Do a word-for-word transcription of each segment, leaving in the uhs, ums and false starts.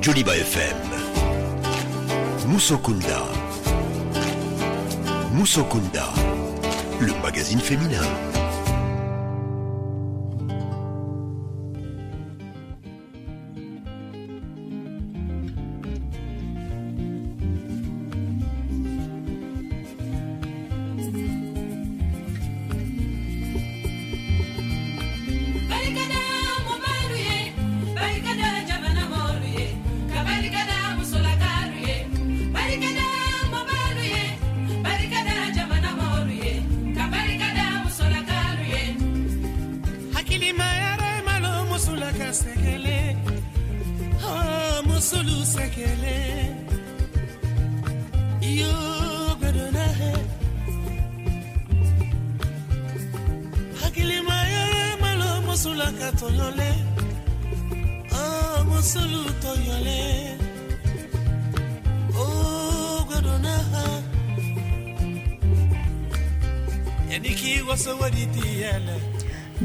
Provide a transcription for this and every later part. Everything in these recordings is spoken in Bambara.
Joliba F M. Musokunda. Musokunda, le magazine féminin.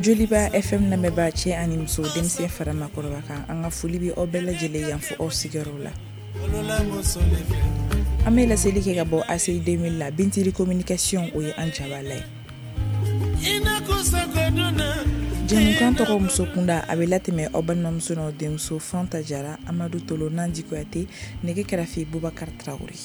Joliba F M lamɛnbaa cɛ ani muso, denmisɛn fara maakɔrɔba kan, an ka foli bɛ aw bɛɛ lajɛlen yan fo aw sigiyɔrɔ la. An bɛ laseli kɛ ka bɔ A C I deux mille la, Bintili communication, o ye an jabala ye. Jɛmukan tɔgɔ Muso Kunda, a bɛ latɛmɛ aw balimamuso n'aw denmuso Fanta Jara, Amadu Tolo, Nandi Kuyate, nɛgɛ kɛrɛfɛ Bubakar Tarawele.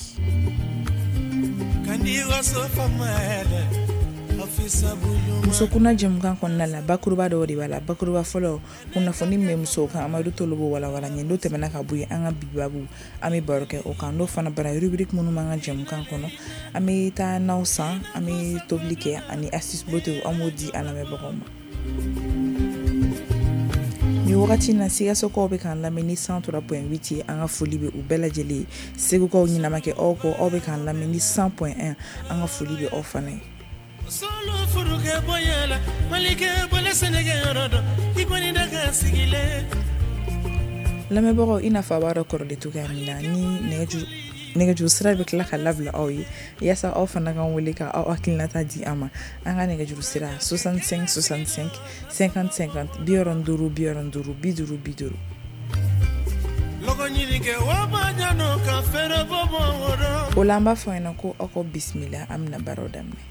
Muso kunda jɛmukan kɔnɔna la, bakuruba dɔw de b'a la. Bakuruba fɔlɔ, kunnafoni min bɛ musow kan, Amadu Tolo b'o walawala ɲɛ. N'o tɛmɛna ka bɔ yen, an ka bi babu, an bɛ baro kɛ o kan. N'o fana bara, rubrique minnu b'an ka jɛmukan kɔnɔ, an bɛ taa naw san, an bɛ tobili kɛ ani astuce beauté, an b'o di an lamɛnbagaw ma. Nin wagati na, Sikasokaw bɛ k'an lamɛn ni cent trois point huit ye, an ka foli bɛ u bɛɛ lajɛlen ye. Segukaw ɲinama kɛ aw kɔ, aw bɛ k'an lamɛn ni cent point un, an ka foli bɛ aw fana ye. Lamɛnbagaw, i n'a fɔ a b'a dɔn kɔrɔlen cogoya min na, ni nɛgɛjuru sira bɛ tila ka labila aw ye yaasa aw fana k'an wele ka aw hakilinata di an ma. An ka nɛgɛjuru sira soixante-cinq soixante-cinq cinquante cinquante, bi wɔɔrɔ duuru bi wɔɔrɔ duuru bi duuru bi duuru. O la, an b'a fɔ aw ɲɛna ko aw ka bisimila, an bɛna baaraw daminɛ.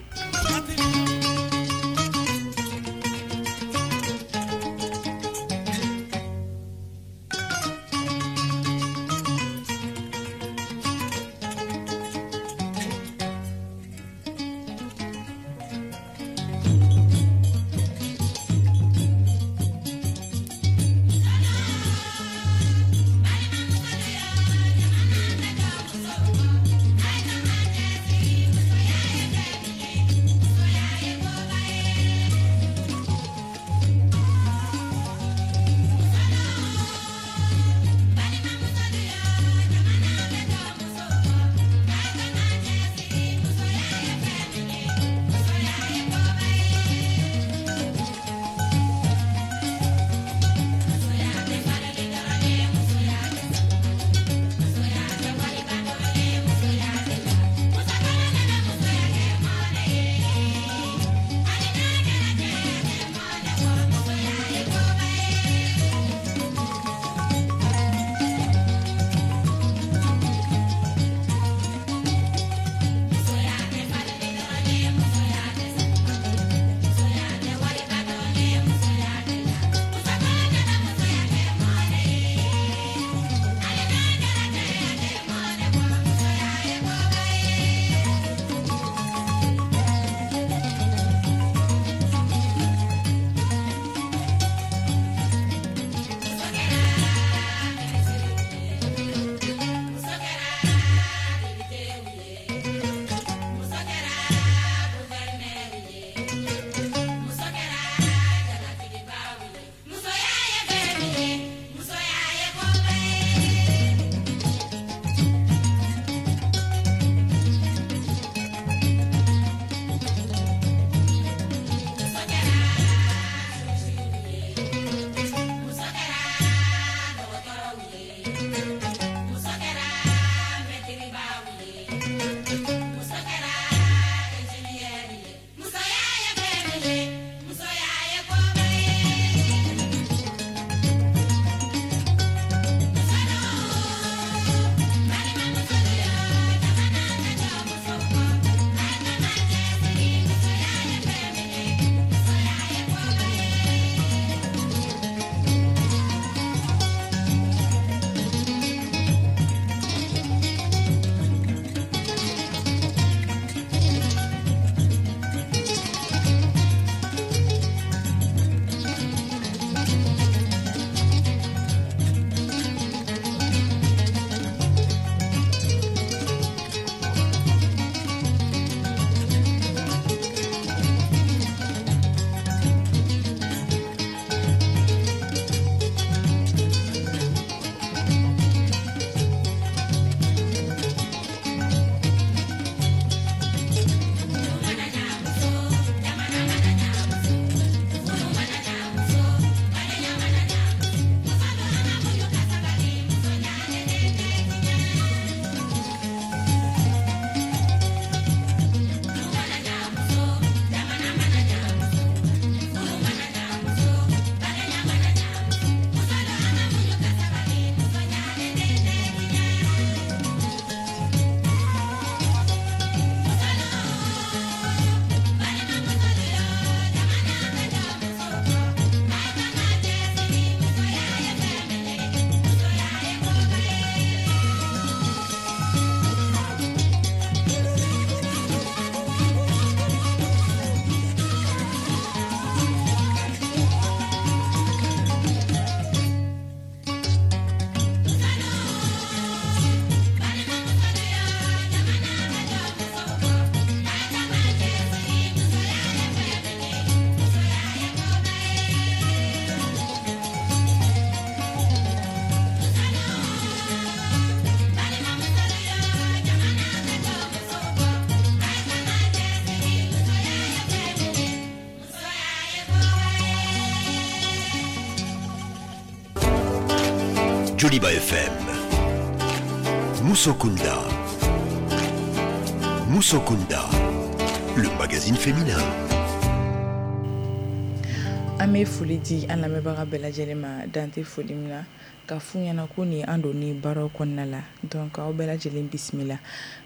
Joliba F M. Musokunda. Musokunda, le magazine féminin. An bɛ foli di an lamɛnbaga bɛɛ lajɛlen ma dan tɛ foli min na ka f'u ɲɛna ko nin an donni baaraw kɔnɔna la donc aw bɛɛ lajɛlen bisimila.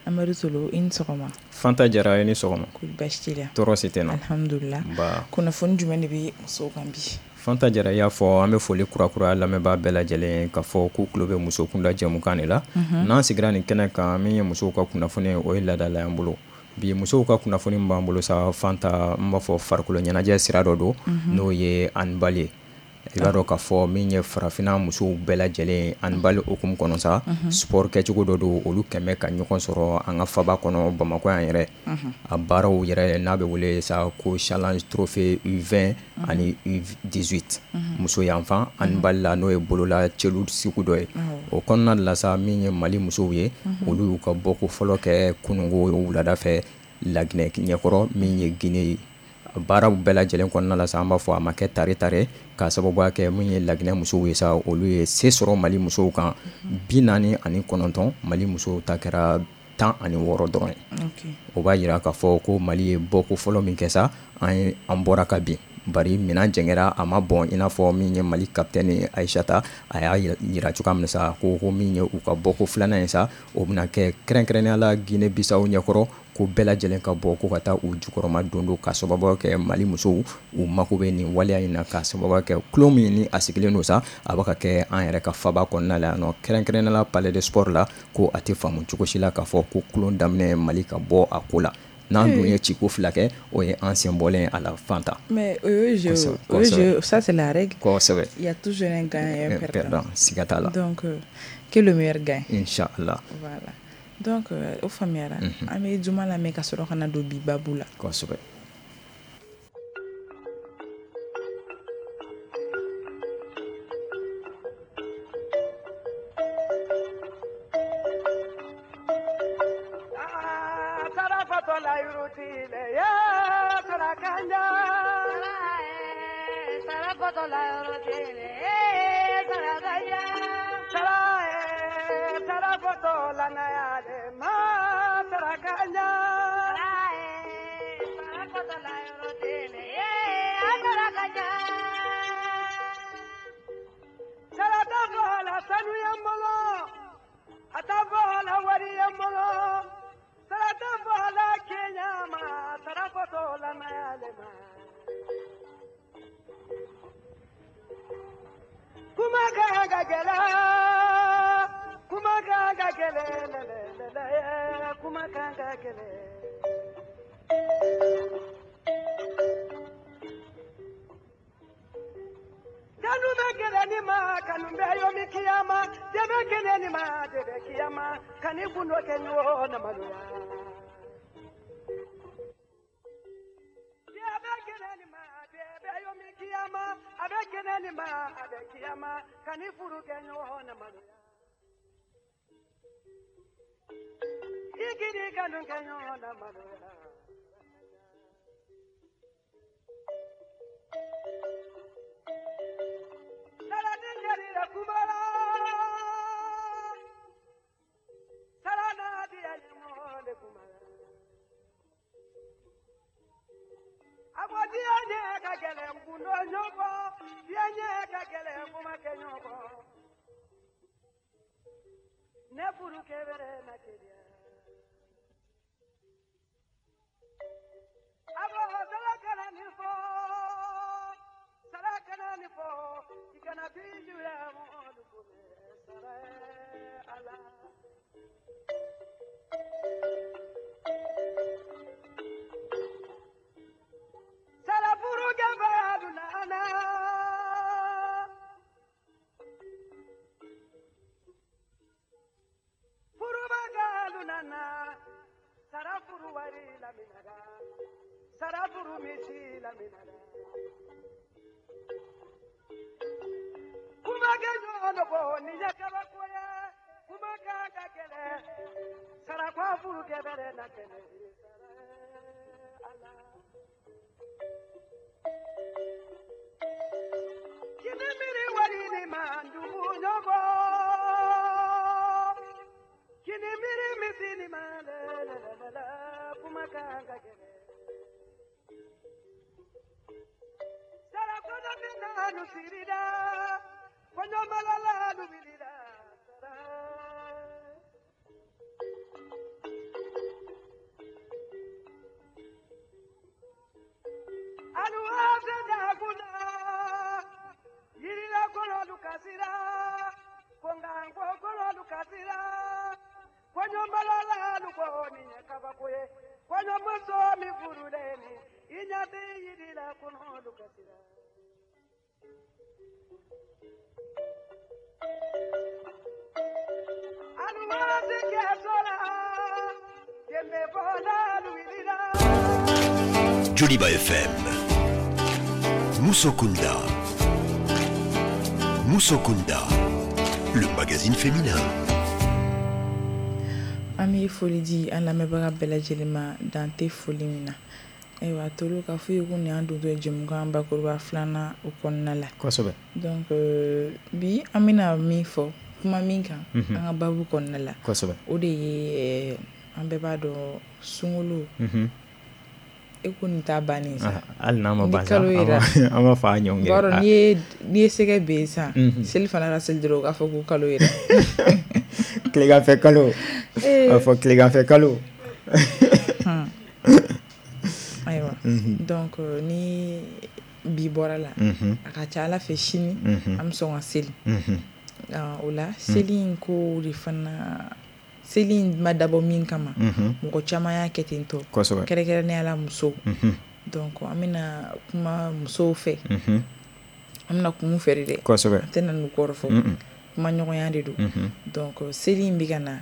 Amadu Solo, i ni sɔgɔma. Fanta Jara, i ni sɔgɔma. Kɔri baasi t'i la? Tɔɔrɔ si tɛ n na. Alhamdulillah. Nba. Kunnafoni jumɛn de bɛ musow kan bi? Fanta Jara, i y'a fɔ an bɛ foli kurakura lamɛnbaa bɛɛ lajɛlen ka fɔ k'u tulo bɛ muso kunda jɛmukan de la. N'an sigira nin kɛnɛ kan, min ye musow ka kunnafoni ye, o ye laadala y'an bolo. Bi musow ka kunnafoni b'an bolo sa Fanta, n b'a fɔ farikolo ɲɛnajɛ sira dɔ don, n'o ye handball ye. I b'a dɔn k'a fɔ min ye farafinna musow bɛɛ lajɛlen handball hukumu kɔnɔ sa, sport kɛcogo dɔ don, olu kɛmɛ ka ɲɔgɔn sɔrɔ an ka faba kɔnɔ Bamakɔ yan yɛrɛ. A baaraw yɛrɛ n'a bɛ wele sa ko challenge trophée U vingt ani U dix-huit muso yanfan handball la, n'o ye bolola celu sugu dɔ ye. O kɔnɔna de la sa, min ye Mali musow ye, olu y'u ka bɔko fɔlɔ kɛ kununko wulada fɛ Laginɛ ɲɛkɔrɔ, min ye Guinée ye. Baaraw bɛɛ lajɛlen kɔnɔna la sa, an b'a fɔ a ma kɛ tare tare k'a sababuya kɛ min ye Laginɛ musow ye sa, olu ye se sɔrɔ Mali musow kan bi naani ani kɔnɔntɔn, Mali musow ta kɛra tan ani wɔɔrɔ dɔrɔn ye. O b'a jira k'a fɔ ko Mali ye bɔko fɔlɔ min kɛ sa, an ye an bɔra ka bin, bari minɛn jɛngɛra, a ma bɔn i n'a fɔ min ye Mali capitaine Ayisata a y'a jira cogoya min na sa, ko ko min ye u ka bɔko filanan ye sa, o bɛna kɛ kɛrɛnkɛrɛnnenya la Guinée Bissau ɲɛkɔrɔ, ko bɛɛ lajɛlen ka bɔ ko ka taa u jukɔrɔma don don k'a sababu kɛ Mali musow u mako bɛ nin waleya in na, k'a sababu kɛ tulon min ni a sigilen don sa, a bɛ ka kɛ an yɛrɛ ka faba kɔnɔna la yan nɔ, kɛrɛnkɛrɛnnenya la palais de sport la, ko a tɛ faamu cogo si la k'a fɔ ko tulon daminɛ Mali ka bɔ a ko la. N'an dun ye ciko fila kɛ, o ye an sen bɔlen a la Fanta. Mais o ye jeu, o ye jeu, ça c'est la règle. Kosɛbɛ. Il y a toujours un gagnant et un perdant. Siga t'a la. Donc que le meilleur gagne. Inchallah. Voilà. Donc o faamuyara. An bɛ juma lamɛn ka sɔrɔ ka na don bi babu la. Kosɛbɛ. Kini miri wari ni mandu nyogo. kan ka gɛlɛn. Sarakɔnɔ min na nu sirida, kɔɲɔmalala nu wulila. Alu da kuna, yirila kɔnɔ kasira, kongango kɔnɔ kasira, kɔɲɔmalala nu ko ni ye kabako ye, kɔɲɔmuso min furulen ni i ɲɛ bɛ yirila kɔnɔ kasira. Alu kɛ so la, jɛnbɛ bɔla wulila. Joliba F M. Musokunda. Musokunda, le magazine féminin. An bɛ foli di an lamɛnbaga bɛɛ lajɛlen ma dan tɛ foli min na. Ayiwa Tolo k'a fɔ i ye ko nin y'an dontɔ ye jɛmukan bakuruba filanan o kɔnɔna la. Kosɛbɛ. Donc bi an bɛna min fɔ kuma min kan an ka baabu kɔnɔna la. Kosɛbɛ. O de ye an bɛɛ b'a dɔn sunkalo. E ko nin t'a bannen sa. Hali n'a ma ban sa, an b'a fɔ a ɲɔgɔn kɛ. B'a dɔn n'i ye n'i ye sɛgɛ ben sisan, seli fana ka seli dɔrɔn u k'a fɔ ko kalo yɛrɛ. Tileganfɛ kalo. A fɔ tileganfɛ kalo. Ayiwa donc ni bi bɔra la, a ka ca Ala fɛ sini an bɛ sɔn ka seli. O la seli in ko de fana. Seli in ma dabɔ min kama mɔgɔ caman y'a kɛ ten tɔ, kɛrɛnkɛrɛnnenya la musow. Donc an bɛna kuma musow fɛ, an bɛna kuma u fɛ de dɛ, an tɛna n'u kɔrɔfɔ, kuma ɲɔgɔnya de don. Donc seli in bɛ ka na,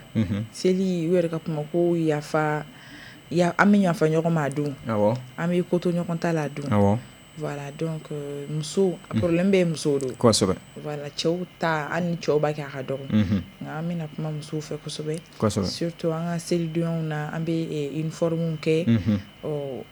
seli u yɛrɛ ka kuma ko yafa, an bɛ yafa ɲɔgɔn ma a don, an bɛ ko to ɲɔgɔn ta la a don. Voilà, donc muso problème bɛ musow don. Kosɛbɛ. Voilà, cɛw ta hali ni cɛw b'a kɛ a ka dɔgɔ. Nka an bɛna kuma musow fɛ kosɛbɛ. Kosɛbɛ. Surtout an ka selidenw na an bɛ uniforme kɛ. Ɔ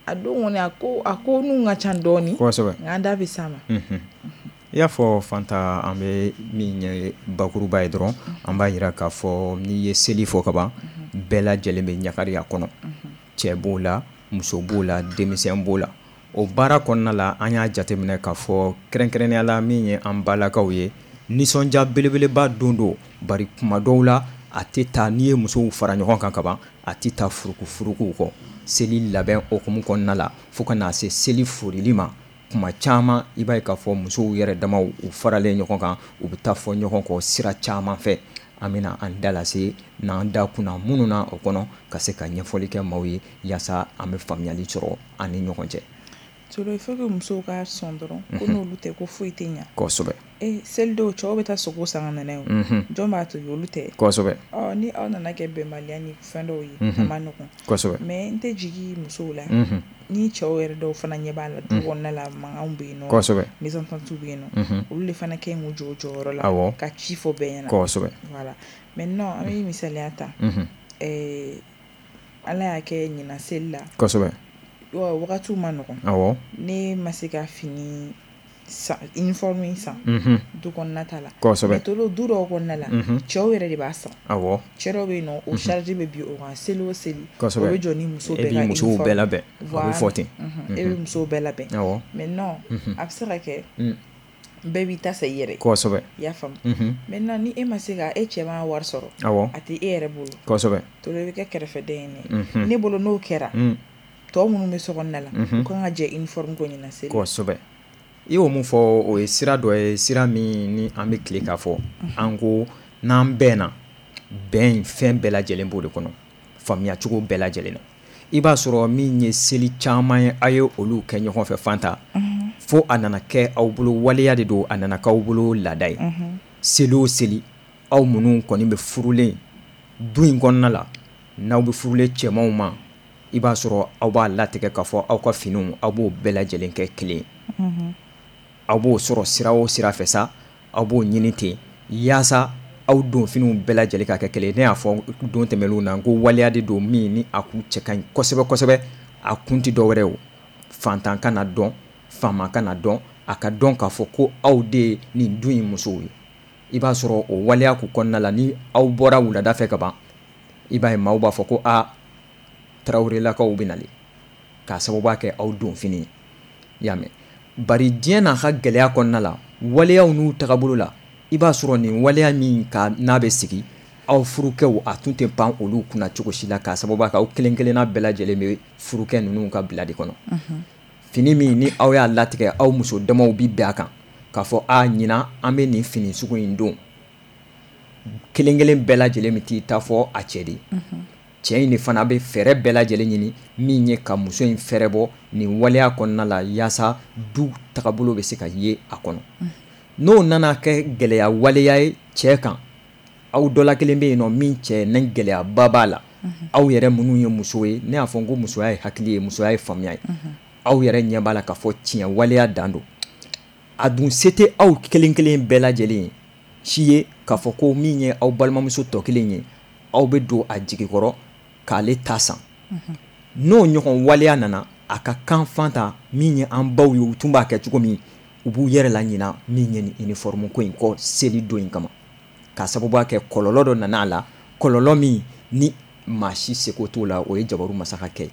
a don kɔni a ko a ko n'u ka ca dɔɔni. Kosɛbɛ. Nka an da bɛ s'a ma. I y'a fɔ Fanta, an bɛ min ye bakuruba ye dɔrɔn, an b'a jira k'a fɔ n'i ye seli fɔ ka ban, bɛɛ lajɛlen bɛ ɲagari a kɔnɔ. Cɛ b'o la, muso b'o la, denmisɛn b'o la. O baara kɔnɔna la an y'a jateminɛ k'a fɔ kɛrɛnkɛrɛnnenya la min ye an balakaw ye, nisɔndiya belebeleba don don, bari kuma dɔw la a tɛ taa n'i ye musow fara ɲɔgɔn kan kaban, a tɛ taa furukufurukuw kɔ. Seli labɛn hokumu kɔnɔna la fo ka n'a se seli forili ma, kuma caman i b'a ye k'a fɔ musow yɛrɛ damaw u faralen ɲɔgɔn kan, u bɛ taa fɔ ɲɔgɔn kɔ sira caman fɛ. An bɛna an da lase n'an da kunna minnu na o kɔnɔ ka se ka ɲɛfɔli kɛ maaw ye yaasa an bɛ faamuyali sɔrɔ an ni ɲɔgɔn cɛ. Tolo, il faut que musow ka sɔn dɔrɔn ko n'olu tɛ ko foyi tɛ ɲa. Kosɛbɛ. E seli dɔw cɛw bɛ taa sogo san ka na n'a ye o. Jɔn b'a tobi, olu tɛ. Kosɛbɛ. Ɔ ni aw nana kɛ bɛnbaliya ni fɛn dɔw ye, a ma nɔgɔn. Kosɛbɛ. Mais n tɛ jigin musow la. Ni cɛw yɛrɛ dɔw fana ɲɛ b'a la du kɔnɔna la, mankanw bɛ yen nɔ. Kosɛbɛ. Mésentente bɛ yen nɔ. Olu de fana kɛ k'u jɔ u jɔyɔrɔ la. Awɔ. Ka ci fɔ bɛɛ ɲɛna. Kosɛbɛ. Voilà. Maintenant an bɛ misaliya ta. Ɛɛ Ala y'a kɛ ɲinan seli la. Kosɛbɛ. Wagatiw ma nɔgɔn. Awɔ. Ne ma se ka fini san, uniforme san. Du kɔnɔna ta la. Kosɛbɛ. Mais Tolo, du dɔw kɔnɔna la, cɛw yɛrɛ de b'a san. Awɔ. Cɛ dɔw bɛ yen nɔ, o charge bɛ bin o kan seli o seli. Kosɛbɛ. O bɛ jɔ ni muso bɛɛ ka E b'i musow bɛɛ labɛn. Voilà. A bɛ fɔ ten. E bɛ musow bɛɛ labɛn. Awɔ. Maintenant a bɛ se ka kɛ bɛɛ b'i ta san i yɛrɛ. Kosɛbɛ. I y'a faamu. Maintenant ni e ma se ka e cɛ ma wari sɔrɔ. Awɔ. A tɛ e yɛrɛ bolo. Kosɛbɛ. Tolo, i bɛ kɛ kɛrɛfɛden ye dɛ. Ne bolo n'o kɛra. Tɔ minnu bɛ so kɔnɔna la, u kan ka jɛ uniforme ko ɲinan seli. Kosɛbɛ. I y'o mun fɔ, o ye sira dɔ ye, sira min ni an bɛ tile k'a fɔ. An ko n'an bɛnna, bɛn fɛn bɛɛ lajɛlen b'o de kɔnɔ, faamuyacogo bɛɛ lajɛlen na. I b'a sɔrɔ min ye seli caman ye, a ye olu kɛ ɲɔgɔn fɛ Fanta, fo a nana kɛ aw bolo waleya de don, a nana k'aw bolo laada ye. Seli o seli, aw minnu kɔni bɛ furulen du in kɔnɔna la, n'aw bɛ furulen cɛmanw ma, i b'a sɔrɔ aw b'a latigɛ k'a fɔ aw ka finiw aw b'o bɛɛ lajɛlen kɛ kelen. Aw b'o sɔrɔ sira o sira fɛ sa, aw b'o ɲini ten yaasa aw don finiw bɛɛ lajɛlen ka kɛ kelen. Ne y'a fɔ don tɛmɛnlenw na ko waleya de don min ni a kun cɛ ka ɲi kosɛbɛ kosɛbɛ. A kun tɛ dɔwɛrɛ ye o, fantan kana dɔn, faama kana dɔn, a ka dɔn k'a fɔ ko aw de ye nin du in musow ye. I b'a sɔrɔ o waleya kun kɔnɔna la, ni aw bɔra wulada fɛ ka ban, i b'a ye maaw b'a fɔ ko aa Tarawelelakaw bɛ nalen k'a sababu kɛ aw donfini ye. I y'a mɛn, bari diɲɛ n'a ka gɛlɛya kɔnɔna la, waleyaw n'u tagabolo la, i b'a sɔrɔ nin waleya min ka n'a bɛ sigi aw furukɛw a tun tɛ pan olu kunna cogo si la, k'a sababu kɛ aw kelen kelenna bɛɛ lajɛlen bɛ furukɛ ninnu ka bila de kɔnɔ. Fini min ni aw y'a latigɛ, aw muso damaw bi bɛn a kan k'a fɔ a ɲinan an bɛ nin fini sugu in don, kelen kelen bɛɛ lajɛlen bɛ t'i ta fɔ a cɛ de ye. Cɛ in de fana bɛ fɛɛrɛ bɛɛ lajɛlen ɲini min ye ka muso in fɛɛrɛ bɔ nin waleya kɔnɔna la, yaasa du tagabolo bɛ se ka ye a kɔnɔ. N'o nana kɛ gɛlɛya waleya ye cɛ kan, aw dɔ la kelen bɛ yen nɔ min cɛ ni gɛlɛyaba b'a la, aw yɛrɛ minnu ye muso ye, ne y'a fɔ n ko musoya ye hakili ye, musoya ye faamuya ye, aw yɛrɛ ɲɛ b'a la k'a fɔ tiɲɛ waleya dan don. A dun se tɛ aw kelen kelen bɛɛ lajɛlen ye si ye k'a fɔ ko min ye aw balimamuso tɔ kelen ye, aw bɛ don a jigi kɔrɔ k'ale ta san. N'o ɲɔgɔn waleya nana, a ka kan Fanta min ye an baw ye, u tun b'a kɛ cogo min, u b'u yɛrɛ la ɲina min ye nin uniforme ko in kɔ seli don in kama, k'a sababu kɛ kɔlɔlɔ dɔ nana a la, kɔlɔlɔ min ni maa si seko t'o la, o ye jabaru masa ka kɛ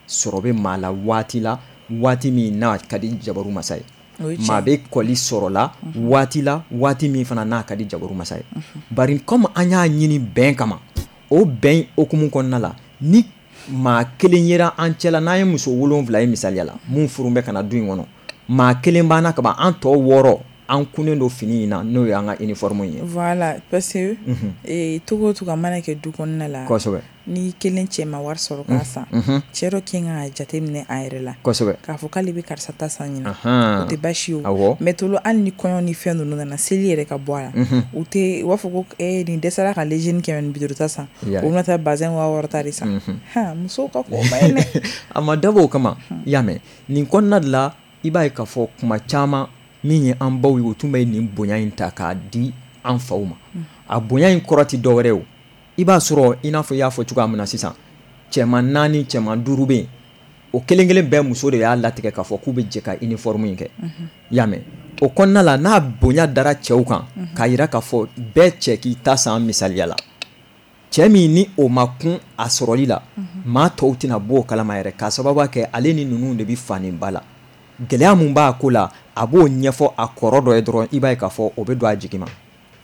sɔrɔ bɛ maa la waati la, waati min n'a ka di jabaru masa ye, maa bɛ kɔli sɔrɔ la waati la, waati min fana n'a ka di jabaru masa ye. Bari comme an y'a ɲini bɛn kama, o bɛn hokumu kɔnɔna la, ni maa kelen yera an cɛla, n'an ye muso wolonwula ye misaliya la, mun furu bɛ ka na du in kɔnɔ, maa kelen banna kaban, an tɔ wɔɔrɔ an kunnen don fini in na, n'o y'an ka uniforme ye. Voilà, parce que togo o togo a mana kɛ du kɔnɔna la, kosɛbɛ, ni kelen cɛ ma wari sɔrɔ k'a san, cɛ dɔ kɛ kan ka jateminɛ a yɛrɛ la, kosɛbɛ, k'a fɔ k'ale bɛ karisa ta san ɲina, o tɛ baasi ye o. Mais tolo hali ni kɔɲɔ ni fɛn ninnu nana, seli yɛrɛ ka bɔ a la, u tɛ u b'a fɔ ko ee nin dɛsɛra ka lejini kɛmɛ ni bi duuru ta san, o bɛna taa bazɛn waa wɔɔrɔ ta de san. Han, musow ka ko ma ye dɛ. A ma dabɔ o kama, i y'a mɛn, nin kɔnɔna de la, i b'a ye k'a fɔ kuma caman min ye an baw ye, u tun bɛ nin bonya in ta k'a di an faw ma. A bonya in kɔrɔ tɛ dɔwɛrɛ ye o. I b'a sɔrɔ i n'a fɔ i y'a fɔ cogoya min na sisan, cɛman naani cɛman duuru bɛ yen, o kelen kelen bɛɛ muso de y'a latigɛ k'a fɔ k'u bɛ jɛ ka uniforme in kɛ. I y'a mɛn, o kɔnɔna la, n'a bonya dara cɛw kan k'a yira k'a fɔ bɛɛ cɛ k'i ta san misaliya la, cɛ min ni o ma kun a sɔrɔli la, maa tɔw tɛna bɔ o kalama yɛrɛ, k'a sababu kɛ ale ni ninnu de bɛ faniba la. Gɛlɛya mun b'a ko la, a b'o ɲɛfɔ a kɔrɔ dɔ ye dɔrɔn, i b'a ye k'a fɔ o bɛ don a jigi ma.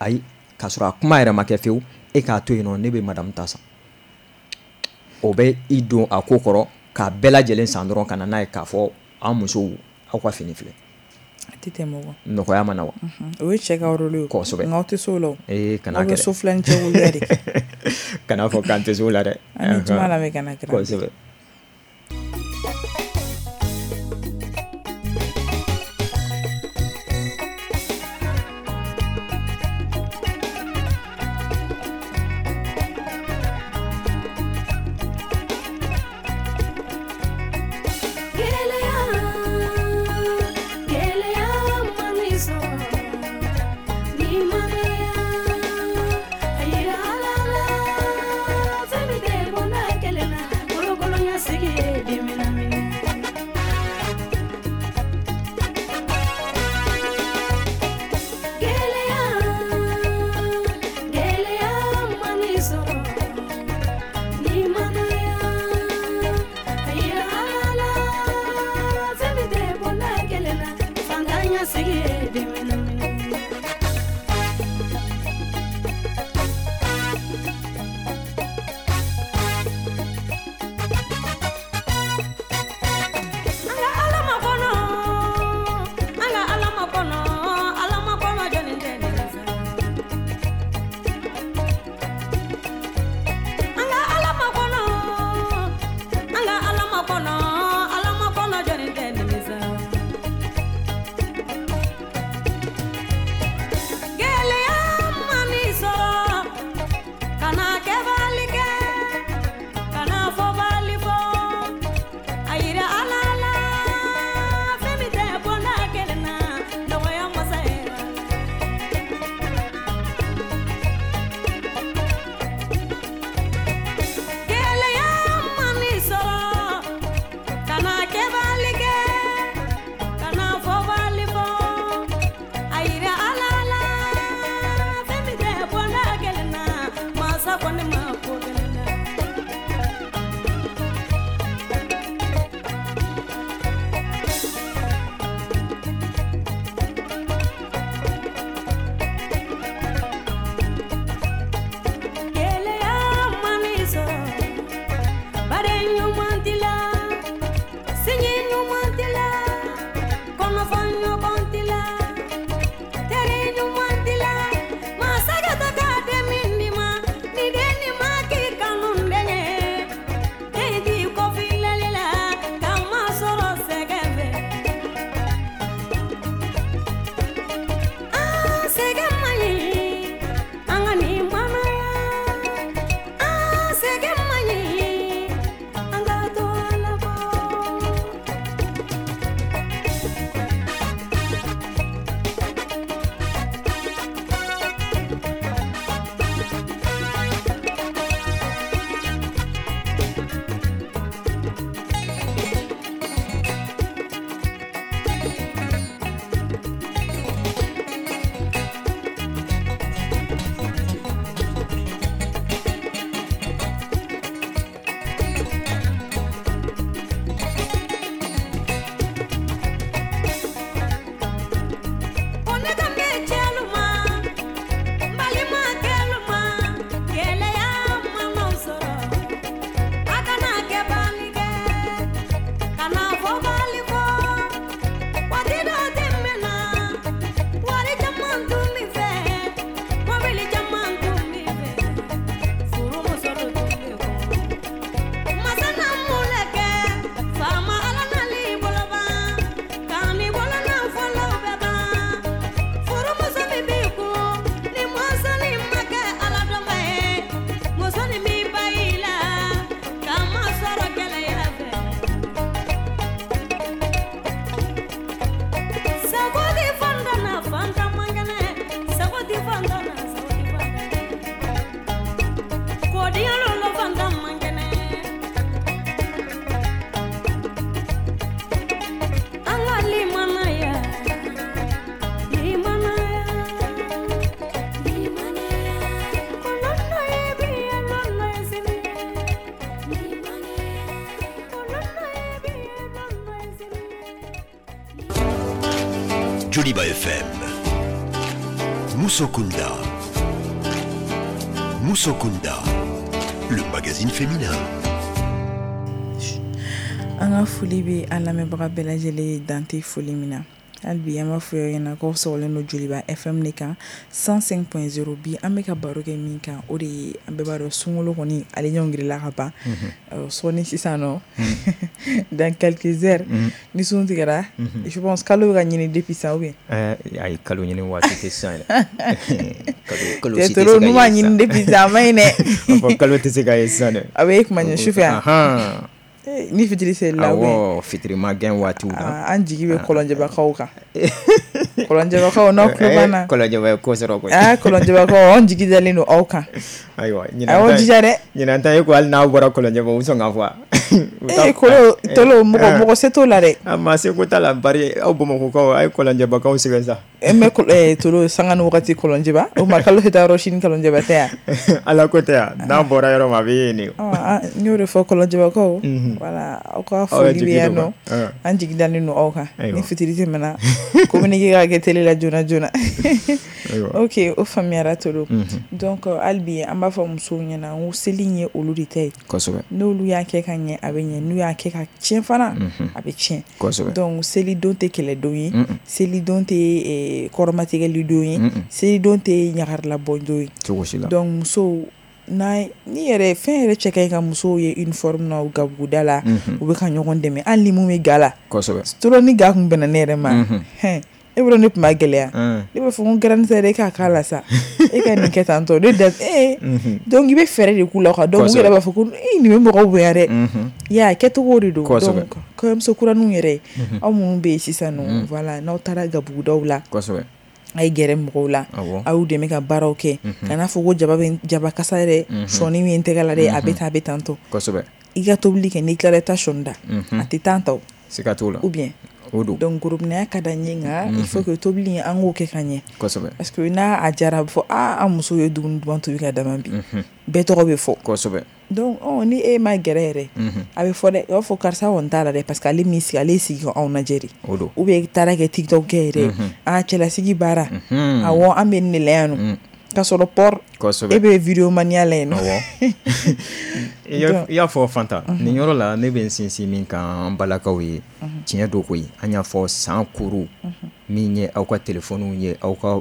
Ayi, k'a sɔrɔ a kuma yɛrɛ ma kɛ fewu, e k'a to yen nɔ, ne bɛ madame ta san. O bɛ i don a ko kɔrɔ k'a bɛɛ lajɛlen san dɔrɔn ka na n'a ye k'a fɔ an musow aw ka fini filɛ. A tɛ tɛmɛ o kan. Nɔgɔya ma na wa? O ye cɛ ka rôle ye. Kosɛbɛ. Nka aw tɛ s'o la o. Ee kana kɛ dɛ. Aw bɛ so filanin cɛ woloya de. Kana fɔ k'an tɛ s'o la dɛ. An bɛ juma lamɛn ka na kira. Kosɛbɛ. Kelen Joliba F M, Musokunda, Musokunda, le magazine féminin. An ka foli bɛ an lamɛnbaga bɛɛ lajɛlen dan tɛ foli min na. Hali bi an b'a fɔ aw ɲɛna k'aw sɔgɔlen don Joliba F M de kan cent cinq point zéro. Bi an bɛ ka baro kɛ min kan, o de ye an bɛɛ b'a dɔn sunkalo kɔni ale ɲɔngirila ka ban sɔɔni sisan nɔ dans quelques heures ni sun tigɛra. Je pense kalo bɛ ka ɲini depuis sisan ou bien ayi, kalo ɲini waati tɛ sisan yɛrɛ. Kalo si tɛ se ka ye n'u m'a ɲini depuis sisan a ma ɲi dɛ. Kalo tɛ se ka ye sisan dɛ. A bɛ e kuma ɲɛ sufɛ yan. Ni fitiri selila awɔ, fitiri ma gɛn waatiw la, an jigi bɛ kɔlɔnjɛbakaw kan. Kɔlɔnjɛbakaw n'aw tulo b'an na, kɔlɔnjɛba ye ko sɔrɔ koyi. Aa kɔlɔnjɛbakaw, anw jigi dalen don aw kan. Ayiwa, a y'aw jija dɛ. Ɲinan ta ye ko hali n'aw bɔra kɔlɔnjɛba u sɔn k'a fɔ. Ee kolo tolo mɔgɔ mɔgɔ se t'o la dɛ. A maa se ko t'a la, bari aw Bamakɔkaw a ye kɔlɔnjɛbakaw sɛgɛn sa. E mɛ tolo sanga ni wagati kɔlɔnjɛba o ma kalo tɛ taa yɔrɔ sini kɔlɔnjɛba tɛ yan. Ala ko tɛ yan, n'a bɔra yɔrɔ ma a bɛ yen de. N y'o de fɔ kɔlɔnjɛbakaw. Voilà, aw ka foli bɛ yan nɔ, an jigi dalen don aw kan. Ni fitiri tɛmɛna, communiqué ka kɛ télé la joona joona. Ok, o faamuyara tolo. Donc hali bi an b'a fɔ musow ɲɛna n ko seli in ye olu de ta ye. Kosɛbɛ. N'olu y'a kɛ ka ɲɛ a bɛ ɲɛ, n'u y'a kɛ ka tiɲɛ fana a bɛ tiɲɛ. Kosɛbɛ. Donc selidon tɛ kɛlɛdon ye, selidon tɛ kɔrɔmatigɛli don ye, selidon tɛ ɲagarilabɔ don ye. Cogo si la. Donc musow n'a ni yɛrɛ fɛn yɛrɛ cɛ ka ɲi ka musow ye uniforme na u gabuguda la, u bɛ ka ɲɔgɔn dɛmɛ hali ni mun bɛ ga la. Kosɛbɛ. Tolo ni ga kun bɛnna ne yɛrɛ ma, hɛn e bolo ne tun b'a gɛlɛya. Ne b'a fɔ ko garantie e k'a k'a la sa, e ka nin kɛ tan tɔ ne da ee. Donc i bɛ fɛɛrɛ de k'u la quoi. Donc u yɛrɛ b'a fɔ ko ee nin bɛ mɔgɔw bonya dɛ. I y'a ye kɛcogo de don. Donc kɔɲɔmuso kuraninw yɛrɛ, aw minnu bɛ yen sisan nɔ, voilà, n'aw taara gabugudaw la. Kosɛbɛ. A ye gɛrɛ mɔgɔw la, a y'u dɛmɛ ka baaraw kɛ. Kana fɔ ko jaba bɛ jaba kasa yɛrɛ sɔɔni min tɛgɛ la dɛ, a bɛ tan a bɛ tan tɔ. Kosɛbɛ. I ka tobili kɛ n'i tilala i taa sɔɔni da, a tɛ tan ta o. Siga t'o la. Ou bien. O don. Donc gorobinɛya ka d'an ye nka il faut que tobili in an k'o kɛ ka ɲɛ. Kosɛbɛ. Parce que n'a a jara a bɛ fɔ aa an musow ye dumuni duman tobi ka d'a ma bi. Bɛɛ tɔgɔ bɛ fɔ. Kosɛbɛ. Donc ɔ ni e ma gɛrɛ yɛrɛ, a bɛ fɔ dɛ, i b'a fɔ karisa kɔni t'a la dɛ, parce que ale m'i sigi, ale y'i sigi k'anw lajɛ de. O don. Ou bien i taara kɛ TikTok kɛ yɛrɛ, a cɛlasigi baara, awɔ an bɛ nin de la yan nɔ. K'a sɔrɔ pɔr Kosɛbɛ. E bɛ vidéo mania la yen nɔ. Awɔ. I y'a fɔ Fanta, nin yɔrɔ la ne bɛ n sinsin min kan an balakaw ye, tiɲɛ don koyi. An y'a fɔ san kuru min ye aw ka telefɔniw ye, aw ka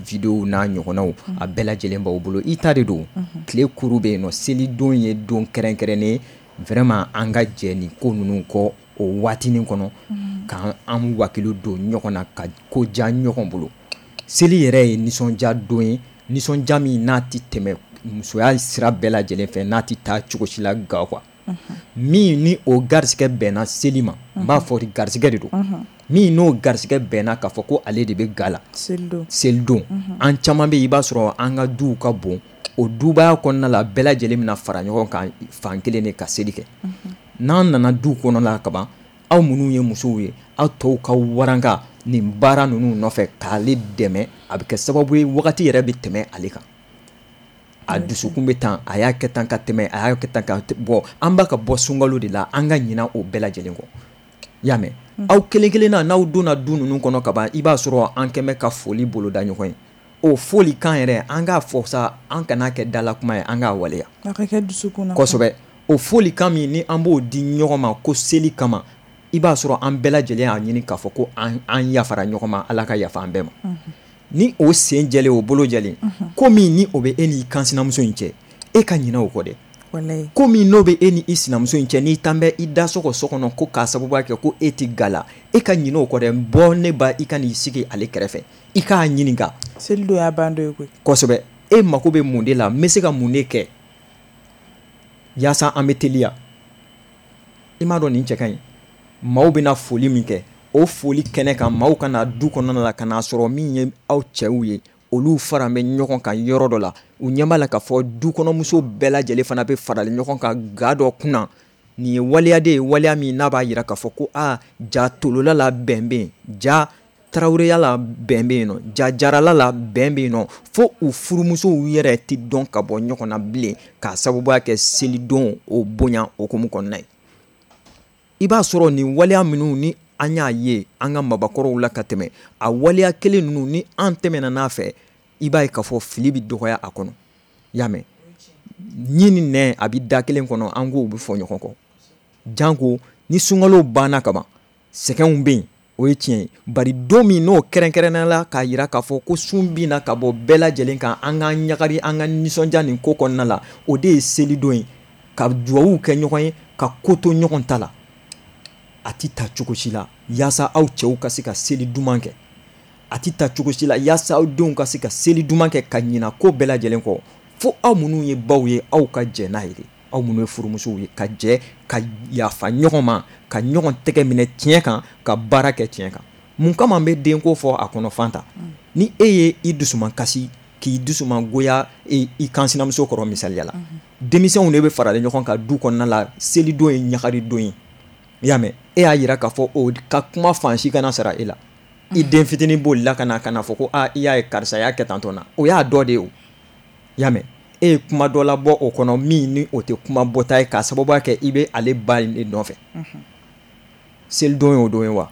vidéo n'a ɲɔgɔnnaw, a bɛɛ lajɛlen b'aw bolo. I ta de don. Tile kuru bɛ yen nɔ, selidon ye don kɛrɛnkɛrɛnnen, vraiment an ka jɛ nin ko ninnu kɔ o waatinin kɔnɔ, k'an an wakilu don ɲɔgɔn na ka ko diya ɲɔgɔn bolo. Seli yɛrɛ ye nisɔndiya don ye, nisɔndiya min n'a tɛ tɛmɛ musoya sira bɛɛ lajɛlen fɛ, n'a tɛ taa cogo si la ga quoi. Min ni o garisɛgɛ bɛnna seli ma, n b'a fɔ garisɛgɛ de don. Min n'o garisɛgɛ bɛnna k'a fɔ ko ale de bɛ ga la selidon, selidon. An caman bɛ yen, i b'a sɔrɔ an ka duw ka bon, o dubaya kɔnɔna la bɛɛ lajɛlen bɛna fara ɲɔgɔn kan fan kelen de ka seli kɛ. N'an nana du kɔnɔ la kaban, aw minnu ye musow ye, aw tɔw ka waranka nin baara ninnu nɔfɛ k'ale dɛmɛ, a bɛ kɛ sababu ye wagati yɛrɛ bɛ tɛmɛ ale kan. A dusukun bɛ tan, a y'a kɛ tan ka tɛmɛ, a y'a kɛ tan ka bɔ. An b'a ka bɔ sunkalo de la, an ka ɲina o bɛɛ lajɛlen kɔ. I y'a mɛn? Aw kelen kelen na n'aw donna du ninnu kɔnɔ ka ban, i b'a sɔrɔ an kɛn bɛ ka foli boloda ɲɔgɔn ye. O foli kan yɛrɛ, an k'a fɔ sa, an kana kɛ dala kuma ye, an k'a waleya. A ka kɛ dusukun na. Kosɛbɛ. O foli kan min ni an b'o di ɲɔgɔn ma ko seli kama, i b'a sɔrɔ an bɛɛ lajɛlen y'a ɲini k'a fɔ ko an an yafara ɲɔgɔn ma, Ala ka yafa an bɛɛ ma. Ni o sen jɛlen, o bolo jɛlen, ko min ni o bɛ e n'i kan sinamuso in cɛ, e ka ɲinɛ o kɔ dɛ. Walayi. Ko min n'o bɛ e ni i sinamuso in cɛ, n'i tan bɛ i da sɔgɔ so kɔnɔ ko k'a sababuya kɛ ko e tɛ ga la, e ka ɲinɛ o kɔ dɛ. Bɔ ne ba, i ka n'i sigi ale kɛrɛfɛ, i k'a ɲininka. Seli don y'a ban dɔ ye koyi. Kosɛbɛ. E mako bɛ mun de la, n bɛ se ka mun de kɛ yaasa an bɛ teliya. I m'a dɔn nin cɛ ka ɲi. Maaw bɛna foli min kɛ, o foli kɛnɛ kan, maaw kana du kɔnɔna la ka n'a sɔrɔ min ye aw cɛw ye, olu fara bɛ ɲɔgɔn kan yɔrɔ dɔ la, u ɲɛ b'a la k'a fɔ dukɔnɔmuso bɛɛ lajɛlen fana bɛ farali ɲɔgɔn kan ga dɔ kunna. Nin ye waleya de ye, waleya min n'a b'a jira k'a fɔ ko aa ja tolola la bɛn bɛ yen, ja taraweleya la bɛn bɛ yen nɔ, ja jarala la bɛn bɛ yen nɔ, fo u furumusow yɛrɛ tɛ dɔn ka bɔ ɲɔgɔn na bilen k'a sababuya kɛ selidon o bonya hokumu kɔnɔna ye. I b'a sɔrɔ nin waleya minnu ni an y'a ye an ka mabakɔrɔw la ka tɛmɛ, a waleya kelen ninnu ni an tɛmɛna n'a fɛ, i b'a ye k'a fɔ fili bɛ dɔgɔya a kɔnɔ. I y'a mɛn, ɲin ni nɛn a bɛ da kelen kɔnɔ, an k'o bɛ fɔ ɲɔgɔn kɔ. Janko ni sunkalo banna kaban, sɛgɛnw bɛ yen, o ye tiɲɛ ye. Bari don min n'o kɛrɛnkɛrɛnnenya la k'a jira k'a fɔ ko sun binna ka bɔ bɛɛ lajɛlen kan, an k'an ɲagari, an ka nisɔndiya nin ko kɔnɔna la, o de ye selidon ye, ka duwawu kɛ ɲɔgɔn ye, ka ko to ɲɔgɔn ta la. A ti ta cogo si la yaasa aw cɛw ka se ka seli duman kɛ, a ti ta cogo si la yaasa aw denw ka se ka seli duman kɛ ka ɲina ko bɛɛ lajɛlen kɔ. Fo aw minnu ye baw ye, aw ka jɛ n'a ye de, aw minnu ye furumusow ye, ka jɛ ka yafa ɲɔgɔn ma, ka ɲɔgɔn tɛgɛ minɛ tiɲɛ kan, ka baara kɛ tiɲɛ kan. Mun kama n bɛ denko fɔ a kɔnɔ Fanta? Ni e ye i dusuman kasi, k'i dusuman goya i kansinamuso kɔrɔ misaliya la, denmisɛnw de bɛ faralen ɲɔgɔn kan du kɔnɔna la, selidon ye ɲagarидon ye. I y'a mɛn, e y'a jira k'a fɔ o ka kuma fan si kana sara e la. I den fitinin bolila ka na ka na fɔ ko aa i y'a ye karisa y'a kɛ tantɔ na, o y'a dɔ de ye o. I y'a mɛn, e ye kuma dɔ labɔ o kɔnɔ min ni o tɛ kuma bɔta ye, k'a sababuya kɛ i bɛ ale ba de nɔfɛ. Selidon ye o don ye wa?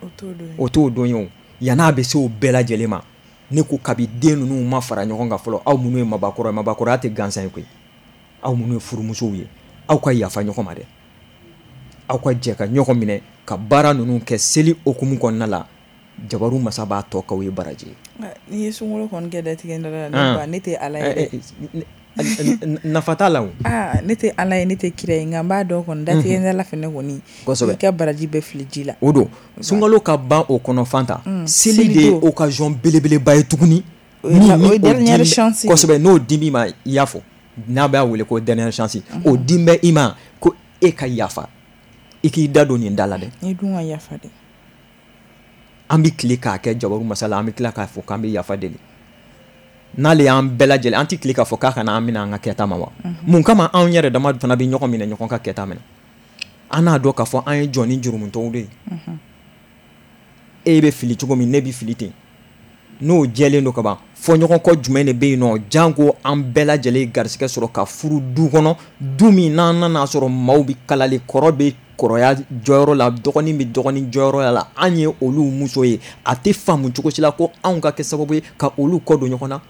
O t'o don ye o. Yann'a bɛ se o bɛɛ lajɛlen ma, ne ko kabi den ninnu ma fara ɲɔgɔn kan fɔlɔ, aw minnu ye mabakɔrɔ ye, mabakɔrɔya tɛ gansan ye koyi, aw minnu ye furumusow ye, aw ka yafa ɲɔgɔn ma dɛ, aw ka jɛ ka ɲɔgɔn minɛ ka baara ninnu kɛ seli hokumu kɔnɔna la. Jabaru masa b'a tɔ k'aw ye baraji ye. N'i ye sunkalo kɔni kɛ datigɛ da la, ne tɛ Ala ye dɛ. Nafa t'a la o. Aa ne tɛ Ala ye, ne tɛ kira ye, nka n b'a dɔn kɔni datigɛ da la fɛnɛ kɔni, kosɛbɛ, i ka baraji bɛ fili ji la. O don sunkalo ka ban o kɔnɔ Fanta, seli de ye occasion belebeleba ye tuguni. O ye dernière chance ye. Kosɛbɛ, n'o dimi ma, i y'a fɔ n'a b'a wele ko dernière chance, o dim bɛ i ma ko e ka yafa, i k'i da don nin da la dɛ. I dun ka yafa dɛ. An bɛ tile k'a kɛ jabaru masa la, an bɛ tila k'a fɔ k'an bɛ yafa deli. N'ale y'an bɛɛ lajɛlen, an tɛ tile k'a fɔ k'a kana an minɛ an ka kɛta ma wa? Mun kama anw yɛrɛ dama fana bɛ ɲɔgɔn minɛ ɲɔgɔn ka kɛta minɛ? An n'a dɔn k'a fɔ an ye jɔn ni jurumutɔw de ye. E bɛ fili cogo min, ne bɛ fili ten. N'o jɛlen don ka ban, fɔɲɔgɔnkɔ jumɛn de bɛ yen nɔ, janko an bɛɛ lajɛlen garisɛgɛ sɔrɔ ka furu du kɔnɔ, du min n'an nana sɔrɔ maaw bɛ kalali, kɔrɔ bɛ kɔrɔya jɔyɔrɔ la, dɔgɔnin bɛ dɔgɔnin jɔyɔrɔ la, an ye olu muso ye, a tɛ faamu cogo si la ko anw ka kɛ sababu ye ka olu kɔ don ɲɔgɔn na.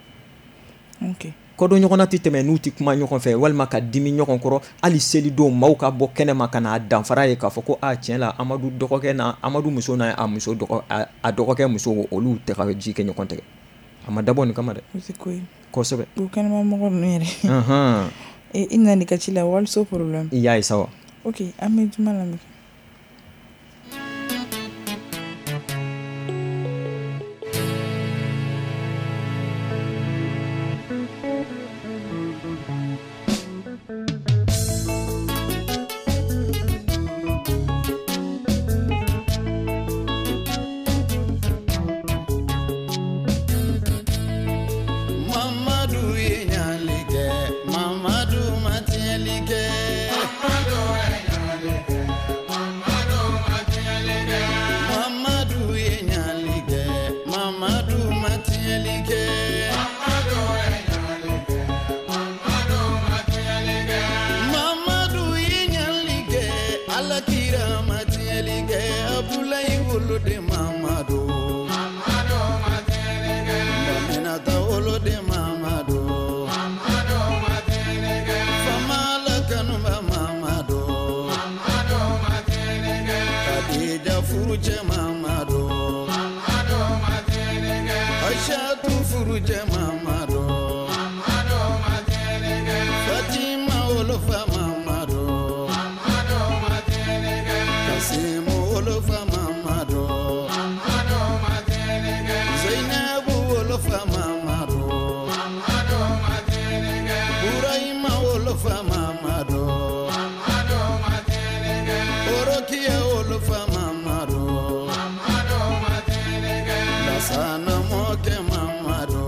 Okay. Kɔ don ɲɔgɔn na tɛ tɛmɛ n'u tɛ kuma ɲɔgɔn fɛ, walima ka dimi ɲɔgɔn kɔrɔ. Hali selidon maaw ka bɔ kɛnɛma ka na danfara ye k'a fɔ ko a tiɲɛ la Amadu dɔgɔkɛ na Amadu muso n'a a muso dɔgɔ a dɔgɔkɛ muso, olu tɛ ka ji kɛ ɲɔgɔn tigɛ. A ma dabɔ nin kama dɛ. O tɛ ko ye. Kosɛbɛ. O kɛnɛma mɔgɔ ninnu yɛrɛ. I nana i ka ci la, waliso problème. I y'a ye sa wa? Ok, an bɛ juma lamɛn. Sana mɔkɛ Mamadu.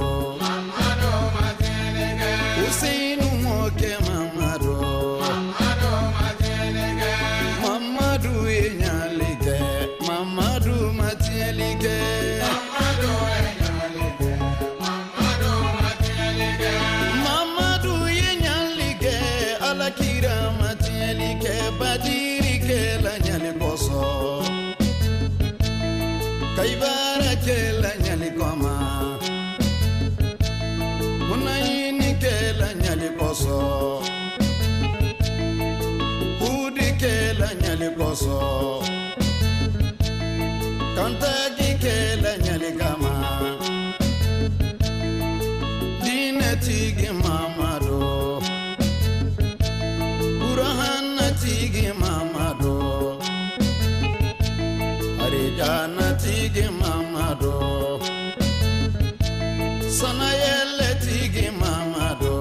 kosɔn kantagi kɛlɛ ɲali kama diinɛtigi Mamadu Burhanatigi Mamadu Arijanatigi Mamadu Sanayɛlɛtigi Mamadu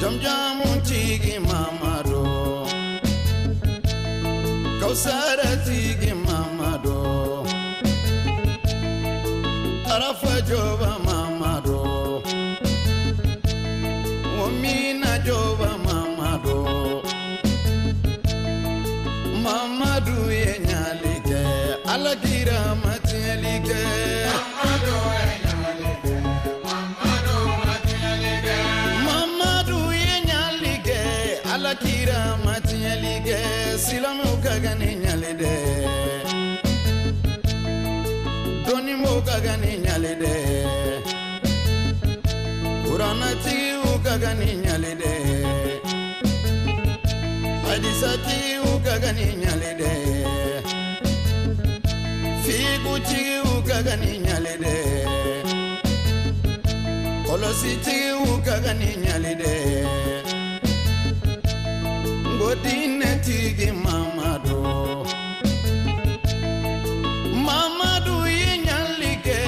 Jamjamutigi Mamadu Kausaratigi Mamadu Arafa Joba Mamadu Wamina Joba Mamadu Mamadu ye ɲali kɛ Ala kira ma tiɲɛli kɛ Mamadu ye ɲali kɛ Mamadu ma tiɲɛli kɛ Mamadu ye ɲali kɛ Ala kira ma tiɲɛli kɛ silamɛw ka kan ni ɲali dɛ dɔnnibaaw ka kan ni ɲali dɛ kuranɛtigiw ka kan ni ɲali dɛ hadisatigiw ka kan ni ɲali dɛ figutigiw ka kan ni ɲali dɛ kɔlɔsitigiw ka kan ni ɲali dɛ ngo diinɛtigi Mamadu Mamadu ye ɲali kɛ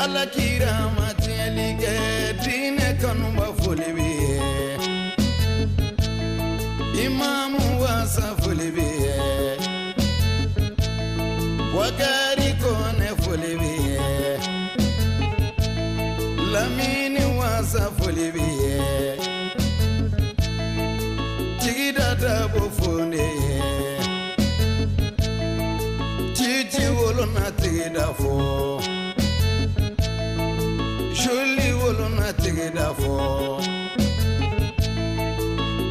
Ala kira ma tiɲɛli kɛ diinɛ kanuba foli b'i ye Imamu wasa foli b'i ye Wakari Kone foli b'i ye Lamini wasa foli b'i ye Tigida Dabo fonde ye Titi wolo na tigida fo Joli wolo na tigida fo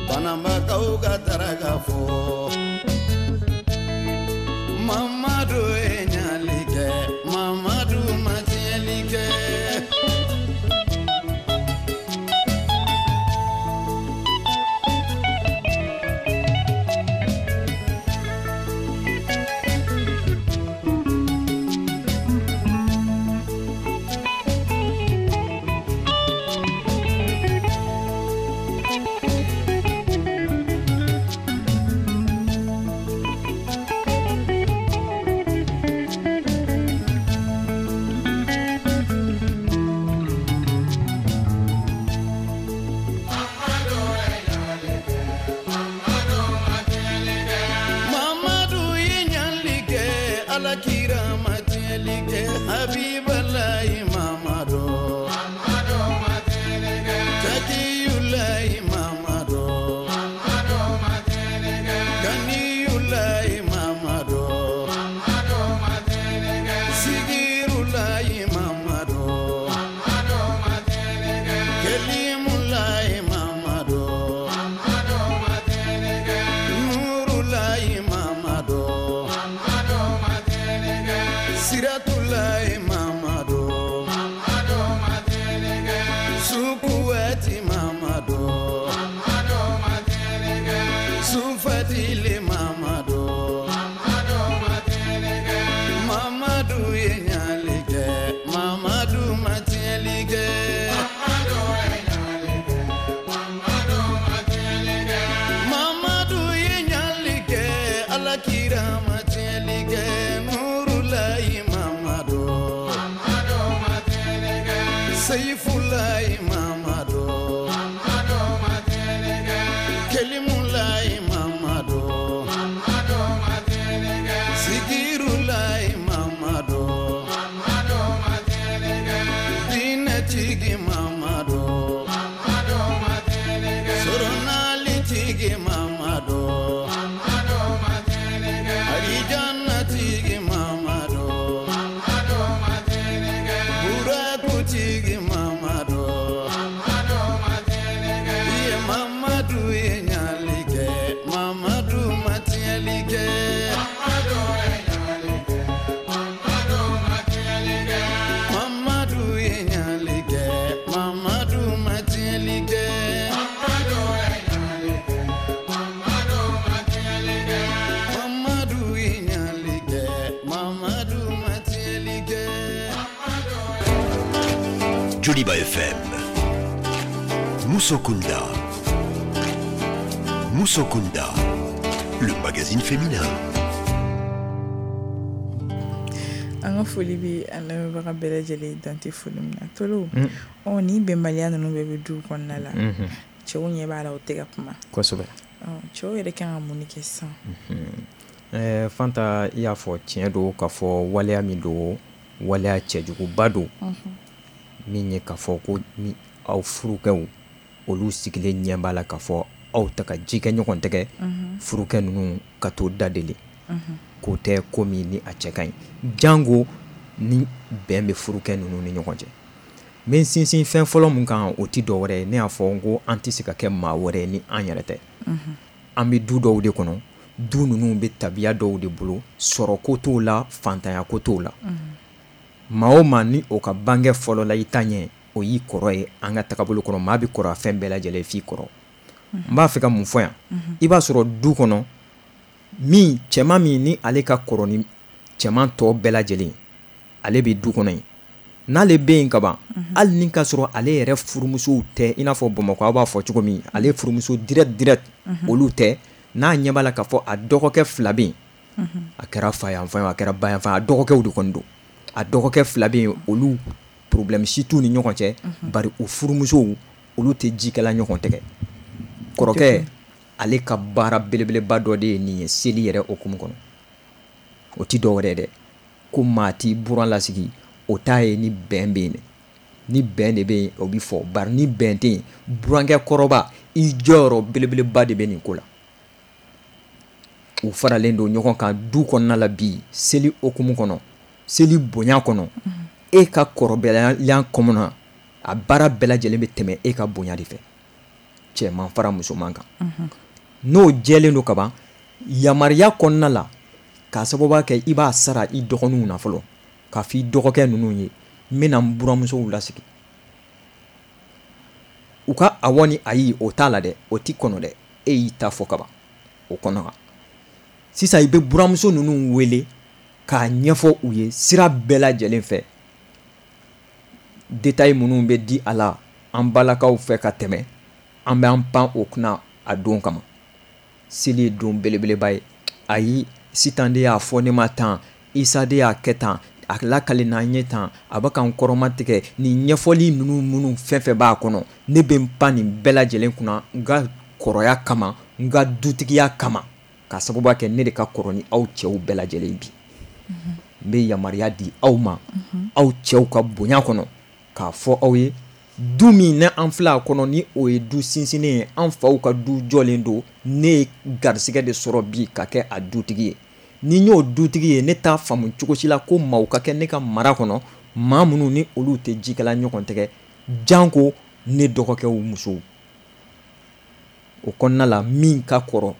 Banambakaw ka daraka fo Mamadu ye ɲali kɛ Mamadu ma tiɲɛli kɛ Mamadu ye ɲali kɛ Mamadu ma tiɲɛli kɛ Mamadu ye ɲali kɛ Ala kira ma tiɲɛli kɛ Habibalayi Mamadu Mamadu ma tiɲɛli kɛ Takiyulayi Mamadu Mamadu ma tiɲɛli kɛ Ganiyulayi Mamadu Mamadu ma tiɲɛli kɛ Sigirulayi Mamadu Mamadu ma tiɲɛli kɛ Kelimulayi Mamadu Mamadu ma tiɲɛli kɛ Nurulayi Mamadu Mamadu ma tiɲɛli kɛ Siratulayi Mamadu Mamadu ma tiɲɛli kɛ Sukuwati Mamadu Mamadu ma tiɲɛli kɛ Sufatili Mamadu Mamadu ma tiɲɛli kɛ Mamadu ye ɲali kɛ Mamadu ma tiɲɛli kɛ Mamadu ye ɲali kɛ Mamadu ma tiɲɛli kɛ Mamadu ye ɲali kɛ Ala kira ma tiɲɛli kɛ Nurulayi Mamadu Mamadu ma tiɲɛli kɛ Seyifulayi Mamadu Mamadu ma tiɲɛli kɛ Kelimulayi Mamadu Mamadu ma tiɲɛli kɛ Sigirulayi Mamadu Mamadu ma tiɲɛli kɛ Diinɛtigi Mamadu Mamadu ma tiɲɛli kɛ Soronalitigi Mamadu Mamadu ma tiɲɛli kɛ Arijannatigi Mamadu Mamadu ma tiɲɛli kɛ Burakutigi Mamadu Joliba F M. Musokunda. Musokunda, le magazine féminin. An ka foli bɛ an lamɛnbaga bɛɛ lajɛlen dan tɛ foli min na. Tolo, ɔ ni bɛnbaliya ninnu bɛɛ bɛ du kɔnɔna la, cɛw ɲɛ b'a la u tɛ ka kuma. Kosɛbɛ. Cɛw yɛrɛ kan ka mun de kɛ sisan? Ɛɛ Fanta, i y'a fɔ tiɲɛ don k'a fɔ waleya min don, waleya cɛjuguba don, min ye k'a fɔ ko ni aw furukɛw olu sigilen ɲɛ b'a la k'a fɔ aw ta ka ji kɛ ɲɔgɔn tɛgɛ, furukɛ ninnu ka t'o da deli. K'o tɛ ko min ni a cɛ ka ɲi, jango ni bɛn bɛ furukɛ ninnu ni ɲɔgɔn cɛ. N bɛ sinsin fɛn fɔlɔ mun kan, o tɛ dɔwɛrɛ ye, ne y'a fɔ n ko an tɛ se ka kɛ maa wɛrɛ ye ni an yɛrɛ tɛ. An bɛ du dɔw de kɔnɔ, du ninnu bɛ tabiya dɔw de bolo, sɔrɔ ko t'o la, fantanya ko t'o la. Maa o maa ni o ka bange fɔlɔ la i ta ɲɛ, o y'i kɔrɔ ye an ka tagabolo kɔnɔ. Maa bɛ kɔrɔ fɛn bɛɛ lajɛlen f'i kɔrɔ. N b'a fɛ ka mun fɔ yan? I b'a sɔrɔ du kɔnɔ min cɛman min ni ale ka kɔrɔ ni cɛman tɔ bɛɛ lajɛlen, ale bɛ du kɔnɔ yen. N'ale bɛ yen kaban, hali ni ka sɔrɔ ale yɛrɛ furumusow tɛ, i n'a fɔ Bamakɔ aw b'a fɔ cogo min, ale furumuso direct direct olu tɛ. N'a ɲɛ b'a la k'a fɔ a dɔgɔkɛ fila bɛ yen, a kɛra fa yanfan ye, a kɛra ba yanfan, a dɔgɔkɛw de kɔni don. A dɔgɔkɛ fila bɛ yen, olu problème si t'u ni ɲɔgɔn cɛ, bari u furumusow olu tɛ jikɛla ɲɔgɔn tɛgɛ. Kɔrɔkɛ ale ka baara belebeleba dɔ de ye nin ye seli yɛrɛ hukumu kɔnɔ. O ti dɔwɛrɛ ye dɛ, ko maa t'i buran lasigi, o t'a ye ni bɛn bɛ yen dɛ. Ni bɛn de bɛ yen, o bɛ fɔ, bari ni bɛn tɛ yen, burankɛ kɔrɔba i jɔyɔrɔ belebeleba de bɛ nin ko la. U faralen don ɲɔgɔn kan du kɔnɔna la bi, seli hukumu kɔnɔ, seli bonya kɔnɔ, e ka kɔrɔbaya kɔnɔna, a baara bɛɛ lajɛlen bɛ tɛmɛ e ka bonya de fɛ, cɛman fara musoman kan. N'o jɛlen don kaban, yamaruya kɔnɔna la, k'a sababu kɛ i b'a sara i dɔgɔninw na fɔlɔ, k'a fɔ i dɔgɔkɛ ninnu ye, n bɛna n buramusow lasigi. U ka awɔ ni ayi o t'a la dɛ, o t'i kɔnɔ dɛ, e y'i ta fɔ kaban o kɔnɔ kan. Sisan i bɛ buramuso ninnu wele k'a ɲɛfɔ u ye sira bɛɛ lajɛlen fɛ, détail minnu bɛ di a la an balakaw fɛ ka tɛmɛ, an bɛ an pan o kunna a don kama. Seli ye don belebeleba ye. Ayi, Sitan de y'a fɔ ne ma tan, Isa de y'a kɛ tan, a lakale n'an ye tan, a bɛ k'an kɔrɔma tigɛ. Nin ɲɛfɔli ninnu minnu fɛn fɛn b'a kɔnɔ, ne bɛ n pan nin bɛɛ lajɛlen kunna n ka kɔrɔya kama, n ka dutigiya kama, k'a sababu kɛ ne de ka kɔrɔ ni aw cɛw bɛɛ lajɛlen bi. N bɛ yamaruya di aw ma, aw cɛw ka bonya kɔnɔ, k'a fɔ aw ye, du min ni an filɛ a kɔnɔ ni o ye du sinsinnen ye, an faw ka du jɔlen don, ne ye garisɛgɛ de sɔrɔ bi ka kɛ a dutigi ye. Ni n y'o dutigi ye, ne t'a faamu cogo si la ko maaw ka kɛ ne ka mara kɔnɔ, maa minnu ni olu tɛ jikɛla ɲɔgɔn tɛgɛ, janko ne dɔgɔkɛw musow. O kɔnɔna la, min ka kɔrɔ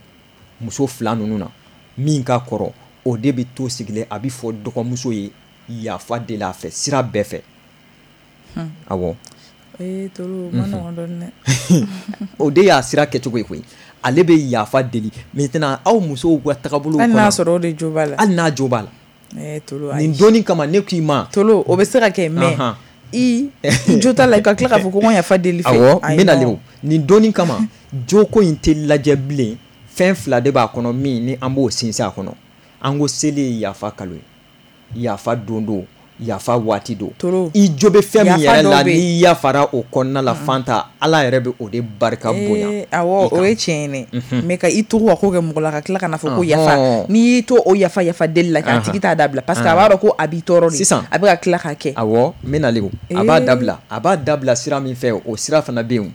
muso fila ninnu na, min ka kɔrɔ, o de bɛ to sigilen, a bɛ fɔ dɔgɔmuso ye yafa deli a fɛ sira bɛɛ fɛ. Awɔ. Ee Tolo, ma nɔgɔn dɔɔni dɛ. O de y'a sira kɛcogo ye koyi. Ale bɛ yafa deli. Maintenant aw musow ka tagabolo kɔnɔ, hali n'a sɔrɔ o de jo b'a la. Hali n'a jo b'a la. Ee Tolo, ayi. Nin donni kama ne k'i ma. Tolo, o bɛ se ka kɛ mais i i jo t'a la, i ka tila k'a fɔ ko n yafa deli fɛ. Awɔ, n bɛ nalen o. Nin donni kama, joko in tɛ lajɛ bilen. Fɛn fila de b'a kɔnɔ min ni an b'o sinsin a kɔnɔ. An ko seli ye yafa kalo ye, yafa don don, yafa waati don. I jo bɛ fɛn min yɛrɛ la, n'i yafara o kɔnɔna la, Fanta, Ala yɛrɛ bɛ o de barika bonya. Awɔ, o ye tiɲɛ ye dɛ. Mais ka i tugu ka ko kɛ mɔgɔ la ka tila ka na fɔ ko yafa, n'i y'i to o yafa yafa deli la, k'a tigi t'a dabila, parce que a b'a dɔn ko a b'i tɔɔrɔ de. Sisan a bɛ ka tila k'a kɛ. Awɔ, n bɛ nalen o. A b'a dabila, a b'a dabila sira min fɛ, o sira fana bɛ yen.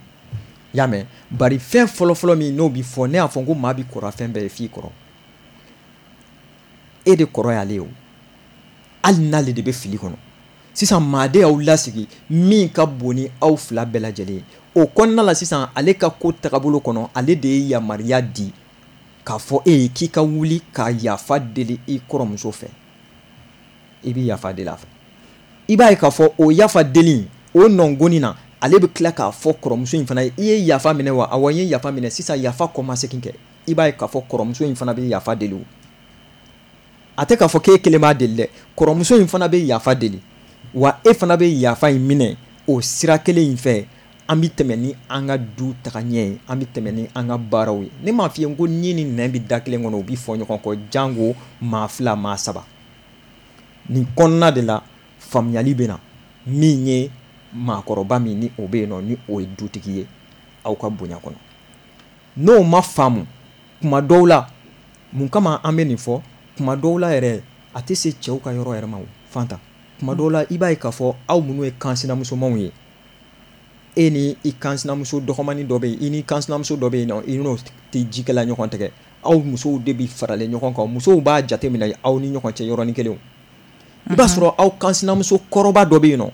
Y'a mɛn? Bari fɛn fɔlɔfɔlɔ min n'o bɛ fɔ, ne y'a fɔ ko maa bɛ kɔrɔ fɛn bɛɛ ye f'i kɔrɔ. E de kɔrɔ y'ale ye o. Hali n'ale de bɛ fili kɔnɔ. Sisan maa de y'aw lasigi min ka bon ni aw fila bɛɛ lajɛlen ye. O kɔnɔna la sisan, ale ka ko tagabolo kɔnɔ, ale de ye yamaruya di k'a fɔ e ye k'i ka wuli ka yafa deli i kɔrɔmuso fɛ. I bɛ yafa deli a fɛ. I b'a ye k'a fɔ o yafa deli, o nɔngɔnni na, ale bɛ tila k'a fɔ kɔrɔmuso in fana ye, i ye yafa minɛ wa? Awɔ, n ye yafa minɛ. Sisan yafa kɔmasegin kɛ. I b'a ye k'a fɔ kɔrɔmuso in fana bɛ yafa deli o. A tɛ k'a fɔ k'e kelen b'a deli dɛ, kɔrɔmuso in fana bɛ yafa deli, wa e fana bɛ yafa in minɛ O sira kelen in fɛ, an bɛ tɛmɛ ni an ka du taga ɲɛ ye, an bɛ tɛmɛ ni an ka baaraw ye. Ne m'a f'i ye ko ni ni nɛn bɛ da kelen kɔnɔ, u bɛ fɔ ɲɔgɔn kɔ, jango maa fila, maa saba. Nin kɔnɔna de la faamuyali bɛ na, min ye maakɔrɔba min ni o bɛ yen nɔ, ni o ye dutigi ye aw ka bonya kɔnɔ. N'o ma faamu kuma dɔw la, mun kama an bɛ nin fɔ? Kuma dɔw la yɛrɛ a tɛ se cɛw ka yɔrɔ yɛrɛ ma o, Fanta. Kuma dɔw la i b'a ye k'a fɔ aw minnu ye kansinamusomanw ye, e ni i kansinamuso dɔgɔmani dɔ bɛ yen, i ni kansinamuso dɔ bɛ yen nɔ, i n'o tɛ jikɛla ɲɔgɔn tɛgɛ, aw musow de bɛ faralen ɲɔgɔn kan, musow b'a jateminɛ aw ni ɲɔgɔn cɛ yɔrɔnin kelen. I b'a sɔrɔ aw kansinamuso kɔrɔba dɔ bɛ yen nɔ,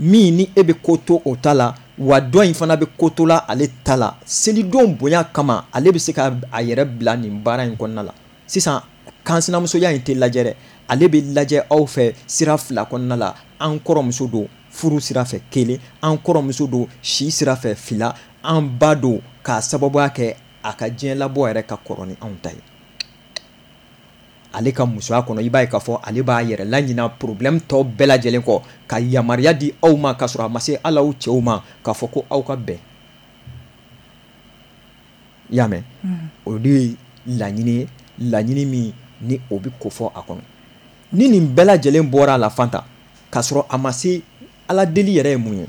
min ni e bɛ ko to o ta la, wa dɔ in fana bɛ ko to la ale ta la. Selidon bonya kama, ale bɛ se ka a yɛrɛ bila nin baara in kɔnɔna la. Sisan kansinamusoya in tɛ lajɛ dɛ, ale bɛ lajɛ aw fɛ sira fila kɔnɔna la. An kɔrɔmuso don furu sira fɛ kelen, an kɔrɔmuso don si sira fɛ fila, an ba don k'a sababuya kɛ a ka diɲɛ labɔ yɛrɛ ka kɔrɔ ni anw ta ye. Ale ka musoya kɔnɔ, i b'a ye k'a fɔ ale b'a yɛrɛ laɲina problème tɔ bɛɛ lajɛlen kɔ, ka yamaruya di aw ma k'a sɔrɔ a ma se hali aw cɛw ma, k'a fɔ ko aw ka bɛn. I y'a mɛn? O de ye laɲini ye, laɲini min ni o bɛ kofɔ a kɔnɔ. Ni nin bɛɛ lajɛlen bɔra a la, Fanta, k'a sɔrɔ a ma se Ala deli yɛrɛ ye mun ye,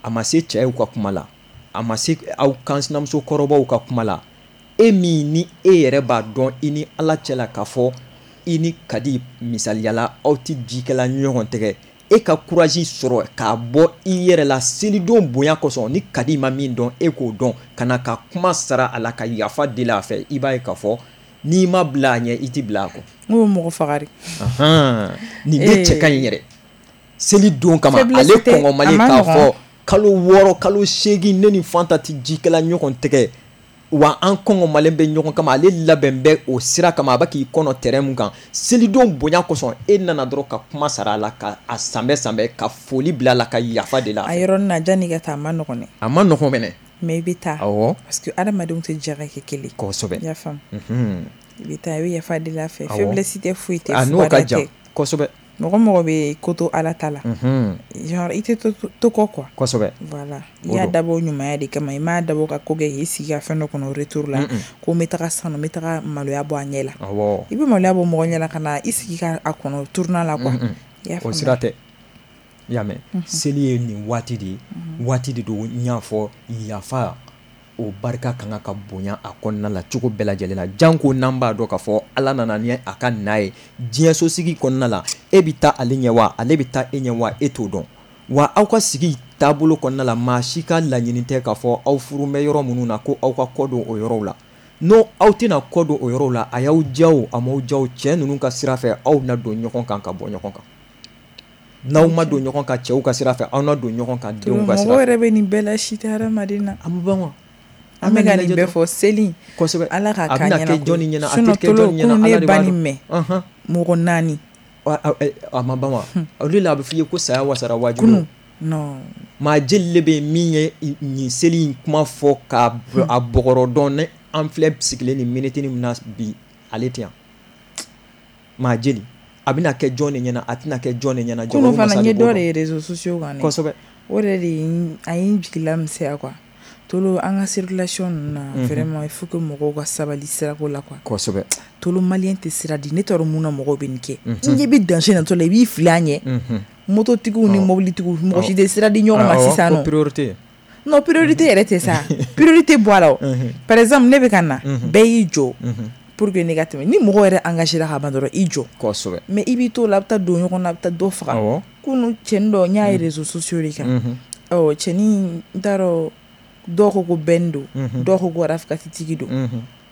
a ma se cɛw ka kuma la, a ma se aw kansinamuso kɔrɔbaw ka kuma la, e min ni e yɛrɛ b'a dɔn i ni Ala cɛ la k'a fɔ i ni Kadi misaliyala aw tɛ jikɛla ɲɔgɔn tɛgɛ, e ka courage sɔrɔ k'a bɔ i yɛrɛ la selidon bonya kosɔn, ni Kadi ma min dɔn e k'o dɔn, ka na ka kuma sara a la, ka yafa deli a fɛ, i b'a ye k'a fɔ n'i ma bila a ɲɛ, i tɛ bila a kɔ. N ko mɔgɔ faga de. Nin de cɛ ka ɲi yɛrɛ. Selidon kama ale kɔngɔmalen k'a fɔ kalo wɔɔrɔ kalo seegin ne ni Fanta tɛ jikɛla ɲɔgɔn tɛgɛ, wa an kɔngɔmalen bɛ ɲɔgɔn kama, ale labɛn bɛ o sira kama, a bɛ k'i kɔnɔ terrain mun kan. Selidon bonya kosɔn e nana dɔrɔn ka kuma sara a la, ka a sanbɛ sanbɛ, ka foli bila a la, ka yafa de la. A yɔrɔnin na janni ka taa, a ma nɔgɔn dɛ. A ma nɔgɔn mɛnɛ. Mais i bɛ taa. Awɔ. Parce que adamadenw tɛ jɛ ka kɛ kelen. Kosɛbɛ. I y'a faamu. I bɛ taa, i bɛ yafa deli a fɛ. Faiblesse tɛ, foyi tɛ. A n'o ka jan kosɛbɛ. Mɔgɔ mɔgɔ bɛ ko to Ala ta la, genre i tɛ to kɔ quoi. Kosɛbɛ. Voilà, i y'a dabɔ ɲumanya de kama, i m'a dabɔ ka ko kɛ k'i sigi ka fɛn dɔ kɔnɔ retour la, ko n bɛ taga sisan nɔ, n bɛ taga maloya bɔ a ɲɛ la. Awɔ. I bɛ maloya bɔ mɔgɔ ɲɛ la ka na i sigi ka a kɔnɔ tournant la quoi. I y'a faamu. O sira tɛ. I y'a mɛn? Seli ye nin waati de ye, waati de don n y'a fɔ yafa o barika kan ka bonya a kɔnɔna la cogo bɛɛ lajɛlen na, janko n'an b'a dɔn k'a fɔ Ala nana ni a ka na ye diɲɛsosigi kɔnɔna la, e bɛ taa ale ɲɛ wa, ale bɛ taa e ɲɛ wa, e t'o dɔn. Wa aw ka sigi taabolo kɔnɔna la, maa si ka laɲini tɛ k'a fɔ aw furu bɛ yɔrɔ minnu na ko aw ka kɔ don o yɔrɔw la. N'o aw tɛna kɔ don o yɔrɔw la, a y'aw diya o, a m'aw diya o, cɛ ninnu ka sira fɛ aw na don ɲɔgɔn kan ka bɔ ɲɔgɔn kan. N'aw ma don ɲɔgɔn kan cɛw ka sira fɛ, aw na don ɲɔgɔn kan denw ka sira fɛ. Mɔgɔ yɛrɛ bɛ nin bɛɛ la, si tɛ hadamaden na. A ma ban wa? An bɛ ka nin bɛɛ fɔ seli. Kosɛbɛ. Ala k'a k'a ɲɛna. A bɛna kɛ jɔnni ɲɛna, a tɛ kɛ jɔnni ɲɛna, Ala Ala de ba b'a nin dɔn. mɛn. Mɔgɔ naani. A ma ban wa? O de la a bɛ f'i ye ko saya wasara wajibi. Kunun. Non. Maa jeli de bɛ yen min ye nin seli in kuma fɔ k'a a bɔgɔrɔ dɔn, ni an filɛ sigilen nin minute min na bi, ale tɛ yan. Maa jeli. A bɛna kɛ jɔn de ɲɛna, a tɛna kɛ jɔn de ɲɛna. Kunun fana n ye dɔ de ye réseaux sociaux kan dɛ. Kosɛbɛ. O yɛrɛ de ye a ye n jigila misɛnya quoi. Tolo an ka circulation ninnu na, vraiment il faut que mɔgɔw ka sabali sirako la quoi. Kosɛbɛ. Tolo malien tɛ sira di, ne t'a dɔn mun na mɔgɔw bɛ nin kɛ. N ɲɛ bɛ danger natɔ la, i b'i fili a ɲɛ. Mototigiw ni mobilitigiw mɔgɔ si tɛ sira di ɲɔgɔn ma sisan nɔ. Ko priorité. Non, priorité yɛrɛ tɛ sa. Priorité bɔ a la o. Par exemple ne bɛ ka na, bɛɛ y'i jɔ. Pour que ne ka tɛmɛ, ni mɔgɔ yɛrɛ engagé la ka ban dɔrɔn i jɔ. Kosɛbɛ. Mais i b'i t'o la, a bɛ taa don ɲɔgɔn na, a bɛ taa dɔ faga. Kunun cɛnin dɔ n y'a ye réseaux sociaux de kan. Ɔ cɛnin n t'a dɔn, dɔw ko ko Ben don, dɔw ko ko Rafkatitigi don.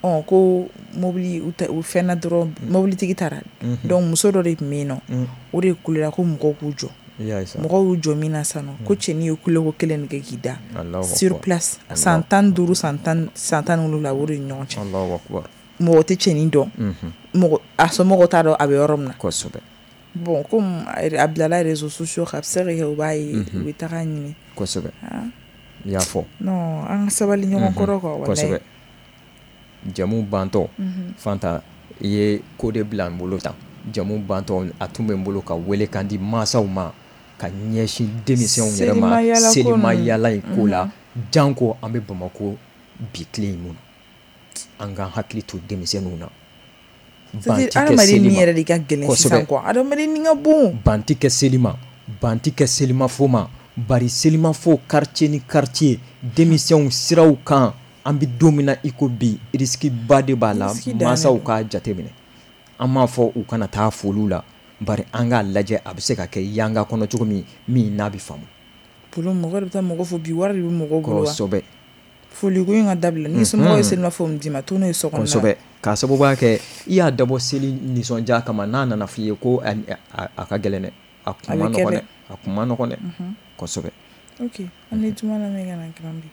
Ɔ ko mobili u fɛnna dɔrɔn mobilitigi taara. Donc muso dɔ de tun bɛ yen nɔ, o de kulela ko mɔgɔw k'u jɔ. Mɔgɔw y'u jɔ min na sisan nɔ, ko cɛnin ye kuleko kelen de kɛ k'i da sur place. San tan ni duuru, san tan san tan ni wolonwula o de ni ɲɔgɔn cɛ. Mɔgɔ tɛ cɛnin dɔn, mɔgɔ a somɔgɔw t'a dɔn a bɛ yɔrɔ min na. Kosɛbɛ. Bon comme a bilala réseaux sociaux kan, a bɛ se ka kɛ u b'a ye, u bɛ taga ɲini. Kosɛbɛ. I y'a fɔ. Non, an ka sabali ɲɔgɔn kɔrɔ quoi, walahi. Kosɛbɛ. Jamu bantɔ, Fanta, i ye ko de bila n bolo tan. Jamu bantɔ, a tun bɛ n bolo ka wele kan di mansaw ma. ka ɲɛsin denmisɛnw yɛrɛ ma selima yala in ko la, janko an bɛ Bamakɔ bi tile in mun na, an k'an hakili to denmisɛnninw na. Ban ti kɛ seli ma yɛrɛ de ka gɛlɛn sisan quoi, adamaden ni ka bon. Ban ti kɛ seli ma, ban ti kɛ selimafo ma, bari selimafo quartier ni quartier denmisɛnw siraw kan, an bɛ don min na i ko bi risque ba de b'a la, mansaw k'a jateminɛ. An m'a fɔ u kana taa foliw la, bari an k'a lajɛ a bɛ se ka kɛ yanga kɔnɔ cogo min min n'a bɛ faamu. Polo mɔgɔ de bɛ taa mɔgɔ fo bi, wari de bɛ mɔgɔw bolo wa. Kosɛbɛ. Foliko in ka dabila, ni somɔgɔw ye selimafo min d'i ma, to n'o ye so kɔnɔ. Kosɛbɛ, k'a sababuya kɛ i y'a dabɔ seli nisɔndiya kama, n'a nana f'i ye ko a, a, a ka gɛlɛn dɛ, a kun ma nɔgɔn dɛ, a kun ma nɔgɔn dɛ, kosɛbɛ. Ok, an bɛ juma lamɛn ka na kiran bi.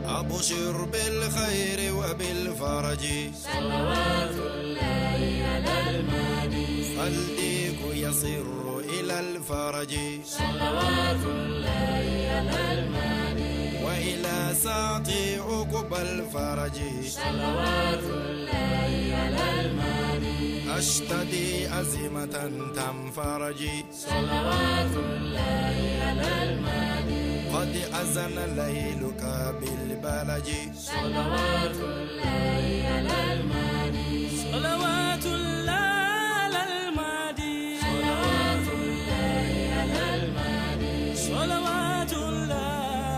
أبشر بالخير وبالفرج صلوات الله على المهدي فالديك يصر إلى الفرج صلوات الله على المهدي وإلى ساعة عقب الفرج صلوات الله على المهدي أشتدي أزمة تنفرج صلوات الله على المهدي قد أزن ليلك بالبلج صلوات الله على المهدي صلوات الله على المهدي صلوات الله على المهدي صلوات الله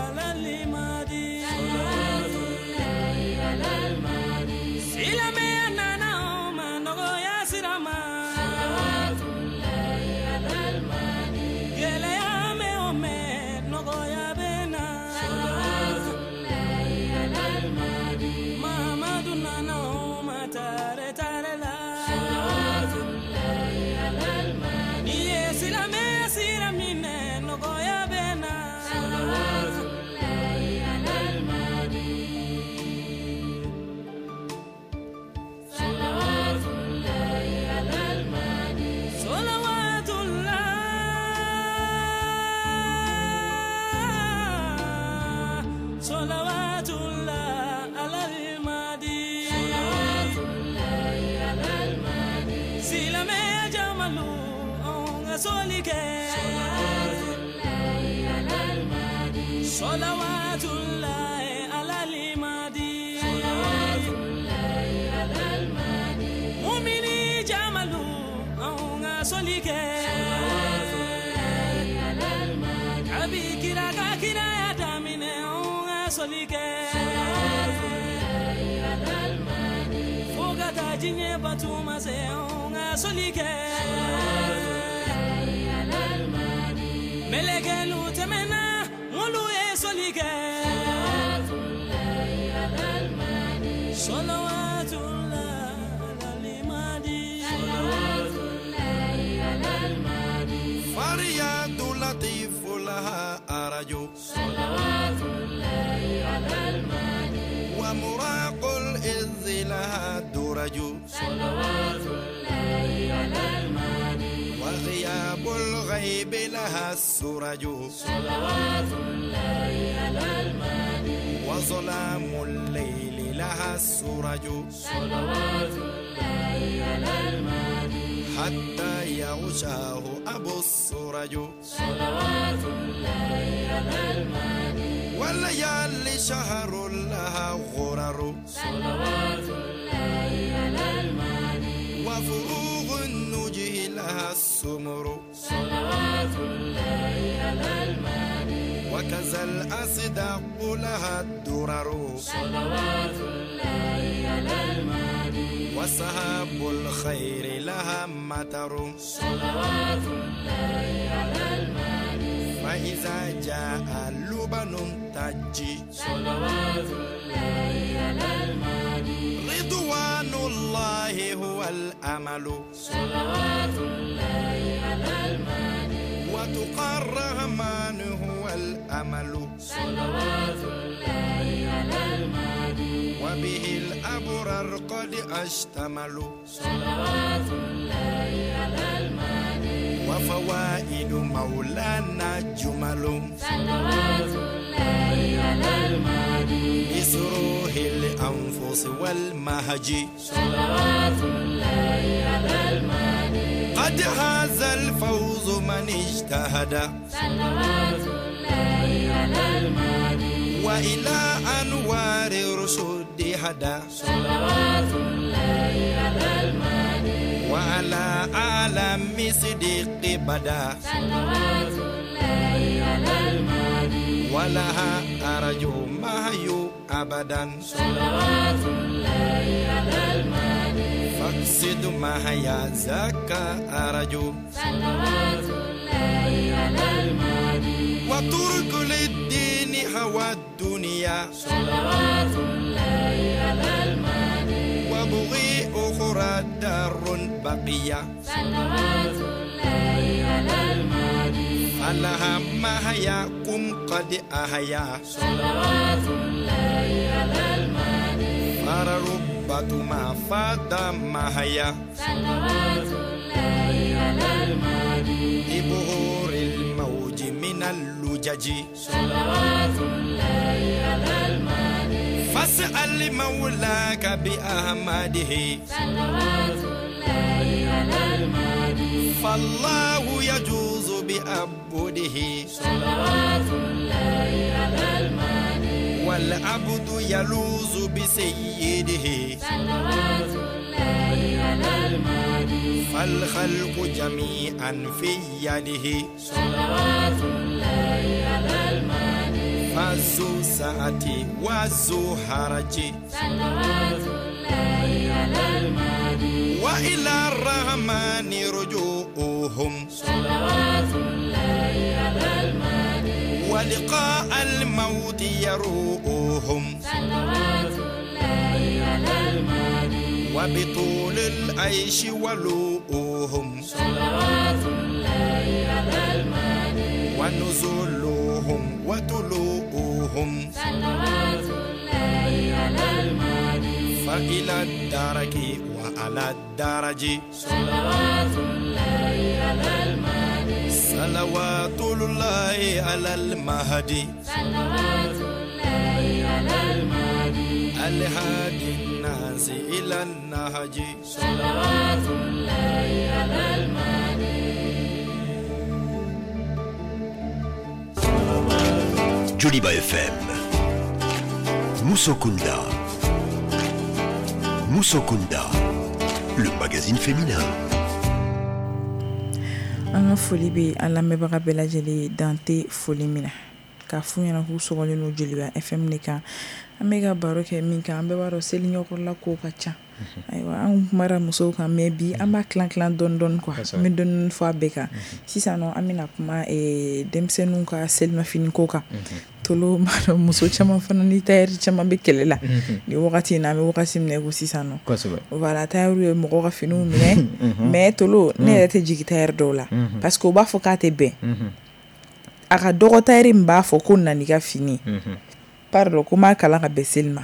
على المهدي صلوات الله على المهدي سلامي أنا ما نغيا سراما صلوات الله على المهدي يلا يا مي أمي نغيا صلوات الله على المهدي صلوات الله على المهدي مؤمني جمالو أونغا سوليك صلوات الله على المهدي أبي كرا كرا يا دامين أونغا سوليك صلوات الله على المهدي فوق تاجيني باتوما سي أونغا سوليك صلوات الله على المهدي ملكلو تمنا صلوات الله على المهدي صلوات الله على المهدي صلوات الله على المهدي فرياد لطيف لها أرجو صلوات الله على المهدي ومراق الإذ لها درج صلوات الله على المهدي وغياب الغيب لها السرج صلوات الله على المهدي وظلام الليل لها السرج صلوات الله على المهدي حتى يغشاه أبو السرج صلوات الله على المهدي والليالي شهر لها غرر صلوات الله على المهدي وفروغ النجه لها السمر صلوات الله على المهدي وكذا الأصداق لها الدرر صلوات الله على المهدي وسحاب الخير لها مطر صلوات الله على المهدي فإذا جاء لبن تجي صلوات الله على المهدي رضوان الله هو الأمل صلوات الله على المهدي وتقى الرحمن هو الأمل صلوات الله على المهدي وبه الأبرار قد أشتملوا صلوات الله على المهدي وفوائد مولانا جمل صلوات الله على المهدي لسروه الأنفس والمهج صلوات الله على المهدي قد هذا الفوز من اجتهد صلوات الله على المهدي وإلى أنوار الرشد هدى صلوات الله على المهدي وعلى عالم صديق بدا صلوات الله على المهدي ولها أرجو مهيو أبدا صلوات الله على المهدي فاقصد مهيا زكا أرجو صلوات الله على المهدي وترك للدين هوى الدنيا صلوات الله على المهدي وبغي أخرى دار بقية صلوات الله على المهدي فلها مهياكم قد أحيا صلوات الله على المهدي فربة ما فات مهيا صلوات الله على المهدي ببهور الموج من اللجج صلوات الله على المهدي فاسأل مولاك بأحمده صلوات الله على المهدي فالله يجوز بأبده صلوات الله على المهدي والعبد يلوذ بسيده صلوات الله على المهدي فالخلق جميعا في يده صلوات الله على المهدي فذو سعة وذو هرج صلوات الله على المهدي وإلى الرحمن رجوعهم صلوات الله على المهدي ولقاء الموت يروؤهم صلوات الله على المهدي وبطول العيش ولوؤهم صلوات الله على المهدي ونزولهم وطلوعهم صلوات الله على المهدي فإلى الدرك وعلى الدرج صلوات الله على المهدي صلوات الله على المهدي صلوات الله على المهدي الهادي الناس إلى النهج صلوات الله على المهدي. Joliba F M Musokunda Musokunda, le magazine féminin. An ka foli bɛ an lamɛnbaga bɛɛ lajɛlen dan tɛ foli min na k'a f'u ɲɛna k'u sɔgɔlen don Joliba F M de kan. An bɛ ka baro kɛ min kan, an bɛɛ b'a dɔn seli ɲɛkɔrɔla ko ka ca. Ayiwa, an kumara musow kan mais bi an b'a tilan tilan dɔɔni dɔɔni quoi. An bɛ dɔɔni fɔ a bɛɛ kan. Sisan nɔ an bɛna kuma denmisɛnninw ka selimafini ko kan. Tolo b'a dɔn muso caman fana ni tailleur caman bɛ kɛlɛ la nin wagati in na, an bɛ wagati min na i ko sisan nɔ. Voilà, tailleur ye mɔgɔw ka finiw minɛ mais Tolo ne yɛrɛ tɛ jigin tailleur dɔw la parce que u b'a fɔ k'a tɛ bɛn. A ka dɔgɔ tailleur min b'a fɔ ko na n'i ka fini, pardon, ko n b'a kalan ka bɛn seli ma.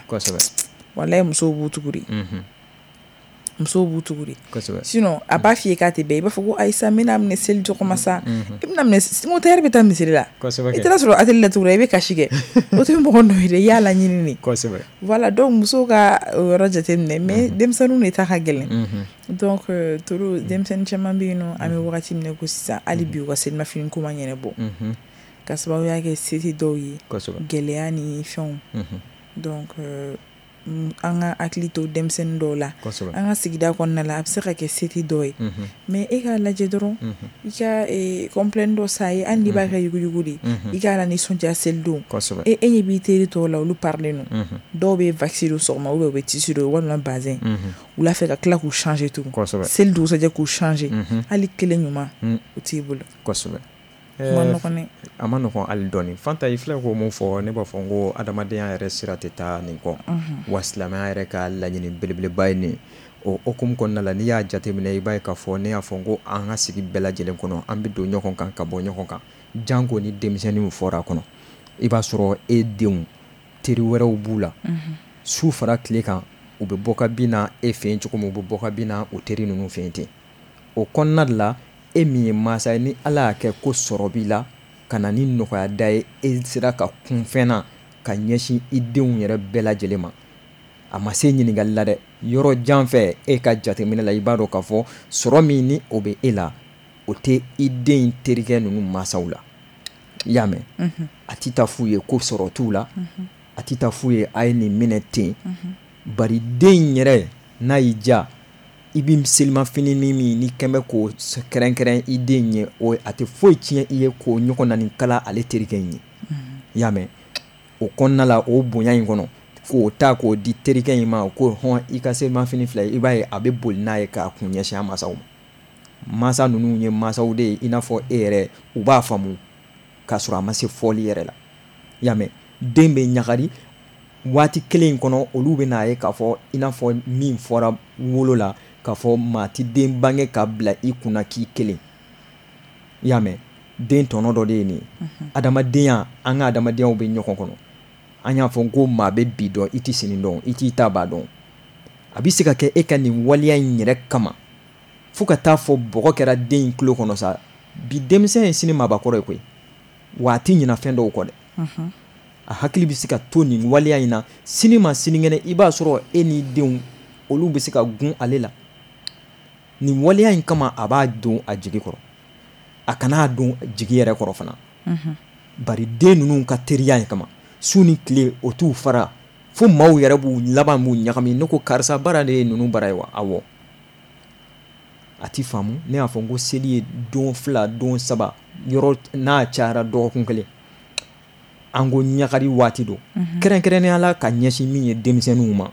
Walayi musow b'u tugu de. Musow b'u tugu de. Sinon a b'a f'i ye k'a tɛ bɛn, i b'a fɔ ko ayisa n bɛna minɛ seli cogo ma sa, i bɛna minɛ n ko tailleur bɛ taa misiri la, i taara sɔrɔ atelier la tuguni i bɛ kasi kɛ, o tɛ mɔgɔ nɔ ye dɛ, i y'a laɲini de. Voilà, donc musow ka o yɔrɔ jateminɛ mais denmisɛnninw de ta ka gɛlɛn. Donc Tolo denmisɛnnin caman bɛ yen nɔ, an bɛ wagati min na ko sisan, hali bi u ka selimafini ko ma ɲɛnabɔ ka sababuya kɛ se tɛ dɔw ye, gɛlɛya ni fɛnw. Donc an ka hakili to denmisɛnnin dɔw la, an ka sigida kɔnɔna la, a bɛ se ka kɛ se tɛ dɔw ye mais e k'a lajɛ dɔrɔn i ka complet dɔ san ye, hali n'i b'a kɛ yuguyugu de, i k'a la nisɔndiya selidon. E e ɲɛ b'i teri tɔw la, olu parilen don, dɔw bɛ waxi don sɔgɔma ou bien u bɛ tissu don walima bazin wula fɛ ka tila k'u changer tugun, seli dugusajɛ k'u changer, hali kelen ɲuman o t'i bolo. A ma nɔgɔn hali dɔɔni. Fanta, i filɛ k'o mun fɔ, ne b'a fɔ n ko adamadenya yɛrɛ sira tɛ taa nin kɔ, wa silamɛya yɛrɛ ka laɲini belebeleba ye nin. O hokumu kɔnɔna la, n'i y'a jateminɛ i b'a ye k'a fɔ ne y'a fɔ n ko an ka sigi bɛɛ lajɛlen kɔnɔ, an bɛ don ɲɔgɔn kan ka bɔ ɲɔgɔn kan, janko ni denmisɛnninw fɔra a kɔnɔ. I b'a sɔrɔ e denw teri wɛrɛw b'u la, su fara tile kan, u bɛ bɔ ka bin na e fɛ yen cogo min, u bɛ bɔ ka bin na u teri ninnu fɛ yen ten. O kɔnɔna de la, e min ye mansa ye, ni Ala y'a kɛ ko sɔrɔ b'i la ka na ni nɔgɔya da ye, e sera ka kun fɛn na ka ɲɛsin i denw yɛrɛ bɛɛ lajɛlen ma. A ma se ɲininkali la dɛ, Yɔrɔ jan fɛ e ka jateminɛ la, i b'a dɔn k'a fɔ sɔrɔ min ni o bɛ e la, o tɛ i den terikɛ ninnu mansaw la. I y'a mɛn? A tɛ taa f'u ye ko sɔrɔ t'u la, a tɛ taa f'u ye a ye nin minɛ ten. Bari den in yɛrɛ n'a y'i diya, i bɛ selimafini min ni kɛn bɛ k'o kɛrɛnkɛrɛn i den ye, o a tɛ foyi tiɲɛ i ye k'o ɲɔgɔn na nin kala ale terikɛ in ye. I y'a mɛn? O kɔnɔna la, o bonya in kɔnɔ, k'o ta k'o di terikɛ in ma ko hɔn i ka selimafini filɛ, i b'a ye a bɛ boli n'a ye k'a kun ɲɛsin a mansaw ma. Mansa ninnu ye mansaw de ye i n'a fɔ e yɛrɛ, u b'a faamu k'a sɔrɔ a ma se fɔli yɛrɛ la. I y'a mɛn? Den bɛ ɲagari waati kelen in kɔnɔ, olu bɛ n'a ye k'a fɔ i n'a fɔ min fɔra wolo la k'a fɔ maa ti den bange ka bila i kunna k'i kelen. I y'a mɛn? Den tɔnɔ dɔ de ye nin ye. Adamadenya, an ka adamadenyaw bɛ ɲɔgɔn kɔnɔ. An y'a fɔ ko maa bɛ bi dɔn, i tɛ sini dɔn, i t'i ta ba dɔn. A bɛ se ka kɛ e ka nin waleya in yɛrɛ kama fo ka taa fɔ bɔgɔ kɛra den in tulo kɔnɔ sa. Bi denmisɛn ye sini maabakɔrɔ ye koyi, wa a tɛ ɲina fɛn dɔw kɔ dɛ. A hakili bɛ se ka to nin waleya in na, sini ma sinikɛnɛ i b'a sɔrɔ e n'i denw olu bɛ se ka gun ale la. Nin waleya in kama a b'a don a jigi kɔrɔ, a kan'a don jigi yɛrɛ kɔrɔ fana. Bari den ninnu ka teriya in kama, su ni tile o t'u fara, fo maaw yɛrɛ b'u laban b'u ɲagami. Ne ko karisa baara de ye ninnu bara ye wa? Awɔ. A ti faamu. Ne y'a fɔ n ko seli ye don fila, don saba, yɔrɔ n'a cayara dɔgɔkun kelen. An ko ɲagari waati don, kɛrɛnkɛrɛnnenya la ka ɲɛsin min ye denmisɛnninw ma.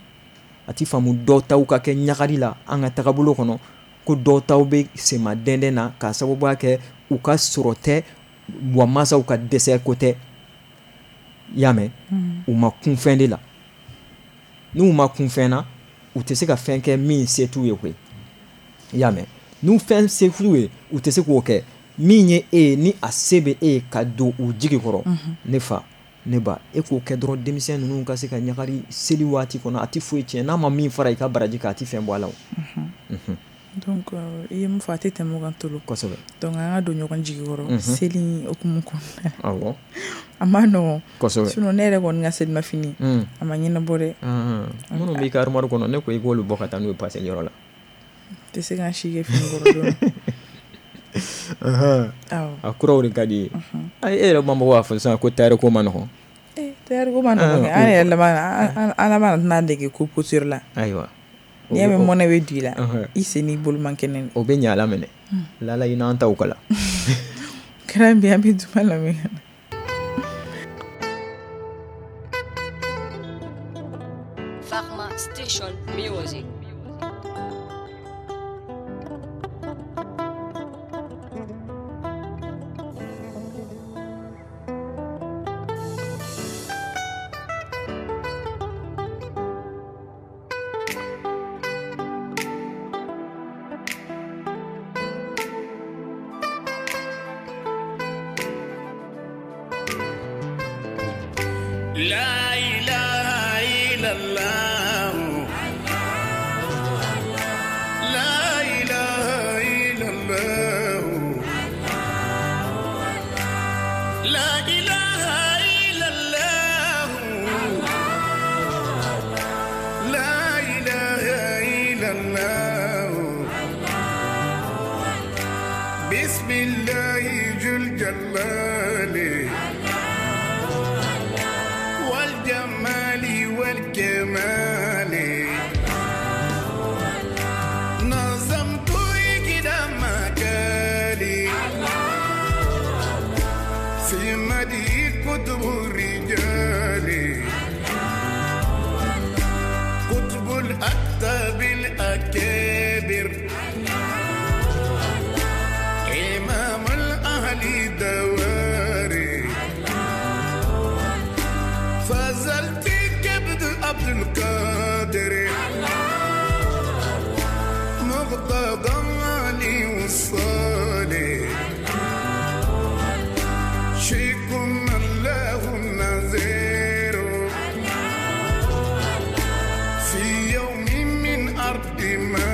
A ti faamu dɔw taw ka kɛ ɲagari la an ka tagabolo kɔnɔ, ko dɔw taw bɛ sema dɛndɛn na k'a sababuya kɛ u ka sɔrɔ tɛ, wa mansaw ka dɛsɛ ko tɛ. I y'a mɛn? U ma kun fɛn de la. N'u ma kun fɛn na, u tɛ se ka fɛn kɛ min se t'u ye koyi. I y'a mɛn? N'u fɛn se t'u ye, u tɛ se k'o kɛ. Min ye e ye, ni a se bɛ e ye ka don u jigi kɔrɔ, ne fa, ne ba, e k'o kɛ dɔrɔn denmisɛn ninnu ka se ka ɲagari seli waati kɔnɔ. A tɛ foyi tiɲɛ, n'a ma min fara i ka baraji kan, a tɛ fɛn bɔ a la o. Donc i ye mun fɔ, a tɛ tɛmɛ o kan tolo. Kosɛbɛ. Donc an ka don ɲɔgɔn jigi kɔrɔ seli hukumu kɔnɔna. Awɔ. A ma nɔgɔn. Kosɛbɛ. Sinon ne yɛrɛ kɔni ka selimafini a ma ɲɛnabɔ dɛ. Minnu b'i ka armoire kɔnɔ, ne ko i k'olu bɔ ka taa n'u ye paseli yɔrɔ la. Tɛ se k'an si kɛ fini kɔrɔ don. A kuraw de ka di ye. E yɛrɛ ma mɔgɔ b'a fɔ sisan ko tailleur ko ma nɔgɔn. Eh, tailleur ko ma nɔgɔn kɛ. An yɛrɛ laban an laban tɛna dege ko couture la. Ayiwa. N'i y'a mɛn mɔnɛ bɛ don i la, i sen n'i bolo man kɛnɛ. O bɛ ɲɛ ala minɛ. Lala i n'an taw kala. Kɛra bi an bɛ duman lamɛn. Farma Station Music. La ilaha illallah, la ilaha illallah, la ilaha illallah, la ilaha illallah. Bismillahi jul jalali والجمال والكمال، نظمت كده مكالي في مدي كتب الرجال، كتب الأكتاب الأكابر، إمام الأهل دواري، فزلت كبد عبد القادر، مقتضى علي والصالح، شيخ الله النذير، في يوم من أرض ما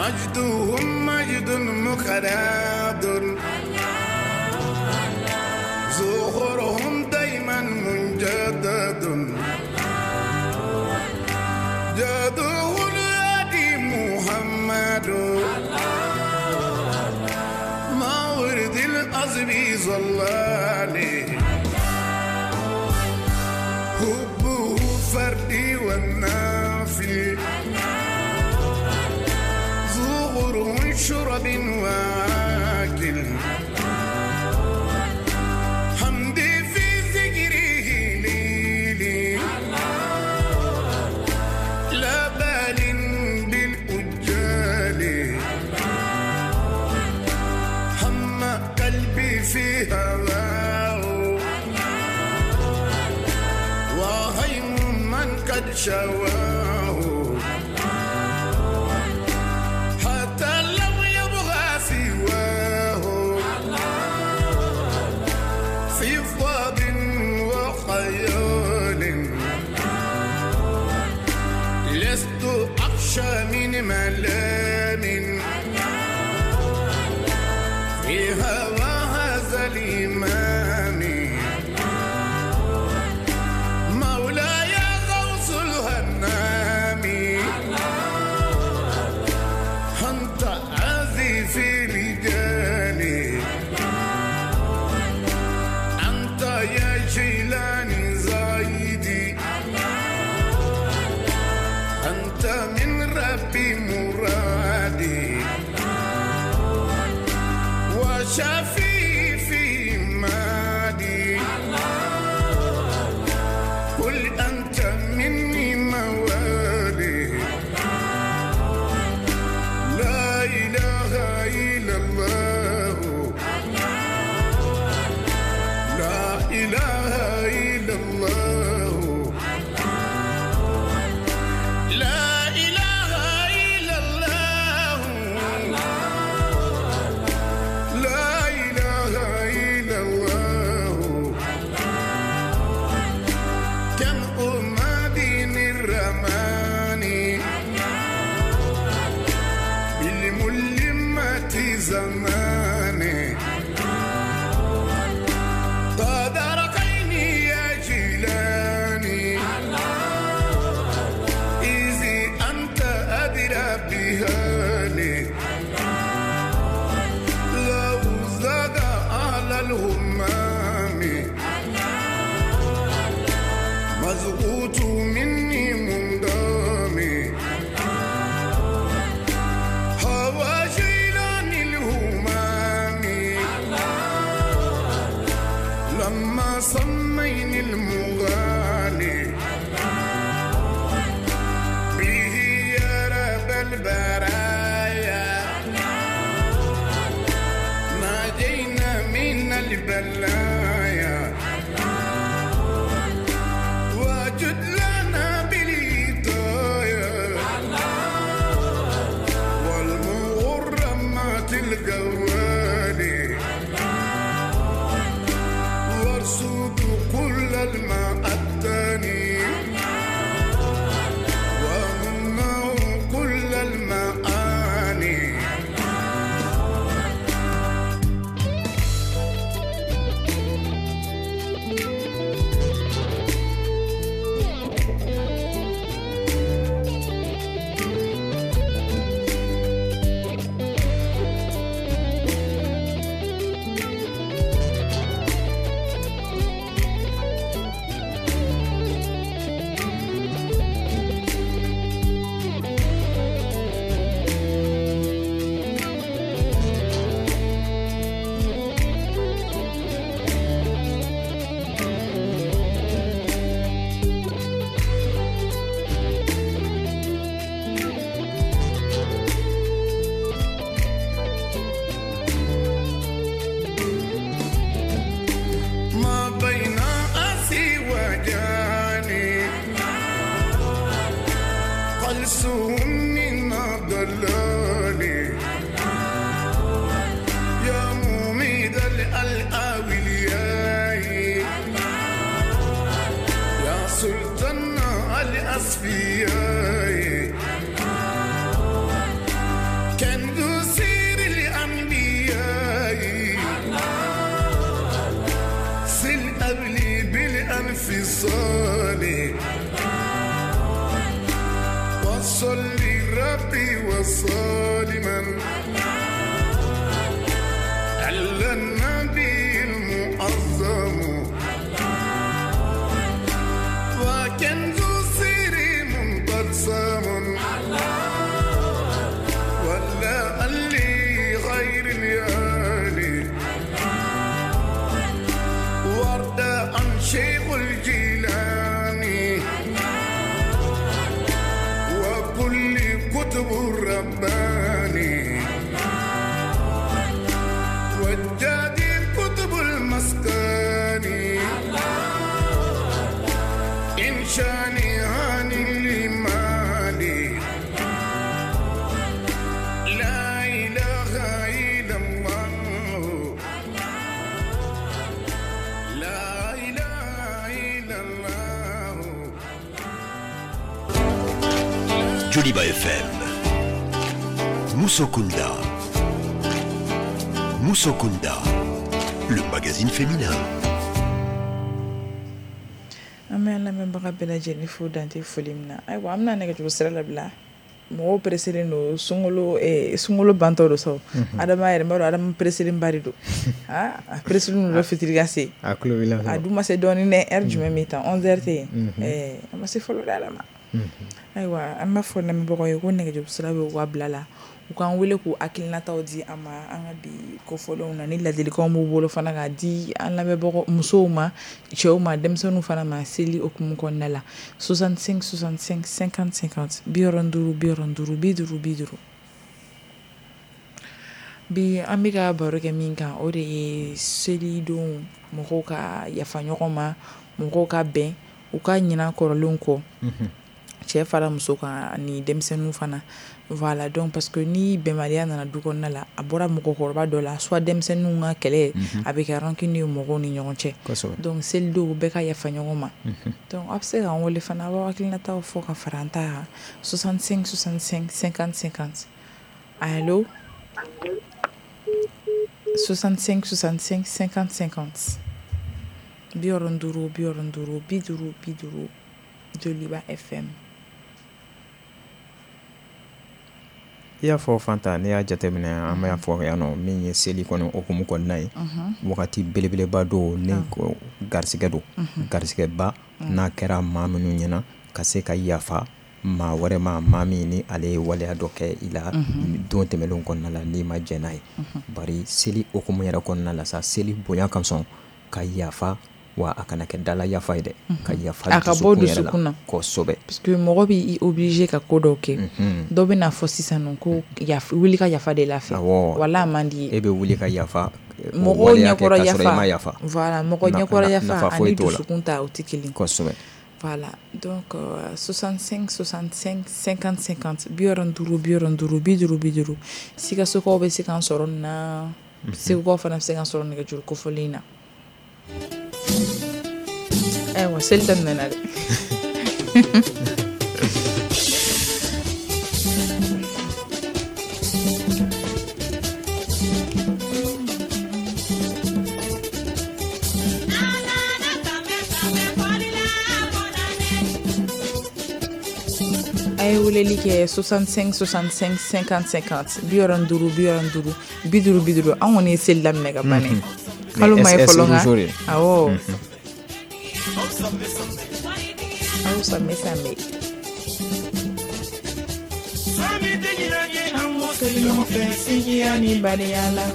مجدهم مجد مخلد زخرهم دايما منجدد جاده الهادي محمد مورد الأزب ظلالي حبه فردي والنافي زغره شرب واكل حمدي في ذكره ليلي لا بال بالأجال هم قلبي في هواه وهيم من قد شواه حتى لو يبغى سواه في فض وخيال لست أخشى من ملام في هوى هذا الإمام مولاي غوث الهنام أنت عزيز رجالي أنت يا جيلاني زايدي أنت من ربي مرادي وشفي في مادي قل أنت مني موالي لا إله إلا الله لا إله إلا الله لا إله إلا الله لا إله إلا الله كم أمادين الرماني بالملمة زماني قد رقيني يا جيلاني إذ أنت أدرى بهالي لو زاد على الهمام مزغوط مني منضامي هوى جيلاني الهمام لما صمين المغالي به يا رب البرايا ناجينا من البلايا وجد لنا بالهدايا والمغرمات الجوالي وارصد كل الماء الثاني ومنه كل المعاني. ما بين أسي وجاني قلسهم من ضلالي يا مميد الأولياء يا سلطان الأصفياء. الصالح وصلي ربي وسلما على النبي المعظم وكنز سري منقسم ولا اللي غير اليالي ورد عن شيخ الجيلاني وكل كتب الرباني والجادي كتب المسكاني إن شاني هاني لمالي لا إله إلا الله لا إله إلا الله. Joliba F M, Musokunda. Musokunda, le magazine féminin. An bɛ an lamɛnbaga bɛɛ lajɛlen fo dante foli min na. Ayiwa, an bɛna nɛgɛjuru sira labila. Mɔgɔw pressélen don sunkalo eh, sunkalo bantɔ don sa. Adama yɛrɛ n b'a dɔn Adama pressélen ba de don. Ah, a pressélen don fitiri ka se. A tulo b'i la. A dun ma se dɔɔnin dɛ, heure jumɛn bɛ tan onze heures tɛ yen. Eh, a ma se fɔlɔ dɛ Adama. Ayiwa, an b'a fɔ lamɛnbagaw ye ko nɛgɛjuru sira bɛ u ka bila la. U k'an wele k'u hakilinataw di an ma an ka bi kofɔlenw na ni ladilikanw b'u bolo fana k'a di an lamɛnbagaw musow ma, cɛw ma, denmisɛnninw fana ma seli hukumu kɔnɔna la. soixante-cinq soixante-cinq cinquante cinquante bi wɔɔrɔ duuru bi wɔɔrɔ duuru bi duuru bi duuru. Bi an bɛ ka baro kɛ min kan o de ye selidon mɔgɔw ka yafa ɲɔgɔn ma, mɔgɔw ka bɛn, u ka ɲina kɔrɔlenw kɔ. Cɛ fara muso kan ani denmisɛnninw fana. Voilà, donc parce que ni bɛnbaliya nana du kɔnɔna la, a bɔra mɔgɔkɔrɔba dɔ la, soit denmisɛnninw ka kɛlɛ, a bɛ kɛ rancune ye mɔgɔw ni ɲɔgɔn cɛ. Donc selidenw bɛɛ ka yafa ɲɔgɔn ma. Donc aw bɛ se k'an wele fana, aw b'aw hakilinataw fɔ ka fara an ta kan. soixante-cinq soixante-cinq cinquante cinquante. Allo soixante-cinq soixante-cinq cinquante cinquante. bi wɔɔrɔ duuru bi wɔɔrɔ duuru bi duuru bi duuru. Joliba F M. I y'a fɔ Fanta, n'i y'a jateminɛ an b'a fɔ yan nɔ min ye seli kɔni hukumu kɔnɔna ye, wagati belebeleba don ni ko garisɛgɛ don, garisɛgɛba n'a kɛra maa minnu ɲɛna ka se ka yafa maa wɛrɛ ma, maa min ni ale ye waleya dɔ kɛ i la don tɛmɛnlenw kɔnɔna la n'i ma jɛn n'a ye. Bari seli hukumu yɛrɛ kɔnɔna la sa, seli bonya kasɔn ka yafa, wa a kana kɛ dala yafa ye dɛ, ka yafa a ka bɔ dusukun na kosɛbɛ. Parce que mɔgɔ b'i obligé ka ko dɔw kɛ. Dɔ bɛ n'a fɔ sisan nɔ ko yafa, wuli ka yafa de la fɛ. Wala a man di ye. E bɛ wuli ka yafa mɔgɔw ɲɛkɔrɔ yafa. Voilà, mɔgɔ ɲɛkɔrɔ yafa ani dusukun ta o tɛ kelen. Kosɛbɛ. Voilà, donc euh, soixante-cinq soixante-cinq cinquante cinquante bi wɔɔrɔ duuru bi wɔɔrɔ duuru bi duuru bi duuru. Sikasokaw bɛ se k'an sɔrɔ nin na, Segukaw fana bɛ se k'an sɔrɔ nɛgɛjuru kofɔlen in na. Ayiwa, seli daminɛna dɛ. A ye weleli kɛ soixante-cinq soixante-cinq cinquante cinquante bi wɔɔrɔ duuru bi wɔɔrɔ duuru bi duuru bi duuru. An kɔni ye seli daminɛ ka ban dɛ. Kalo ma ye fɔlɔ nka awɔ. Aw sanbɛ sanbɛ. Ɲɔgɔn fɛ sinjiya ni badenya la.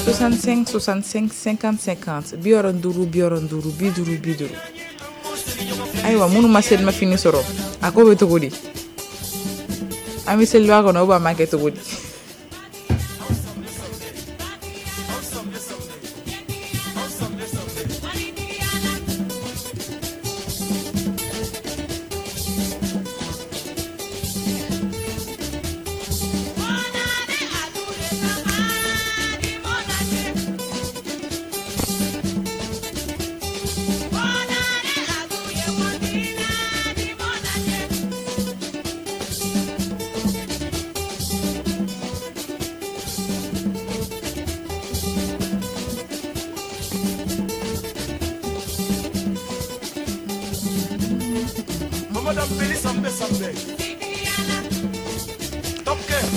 soixante-cinq soixante-cinq cinquante cinquante bi wɔɔrɔ duuru bi wɔɔrɔ duuru bi duuru bi duuru. Ayiwa, minnu ma selimafini sɔrɔ, a ko bɛ cogo di? An bɛ seliba kɔnɔ ou bien an b'a kɛ cogo di?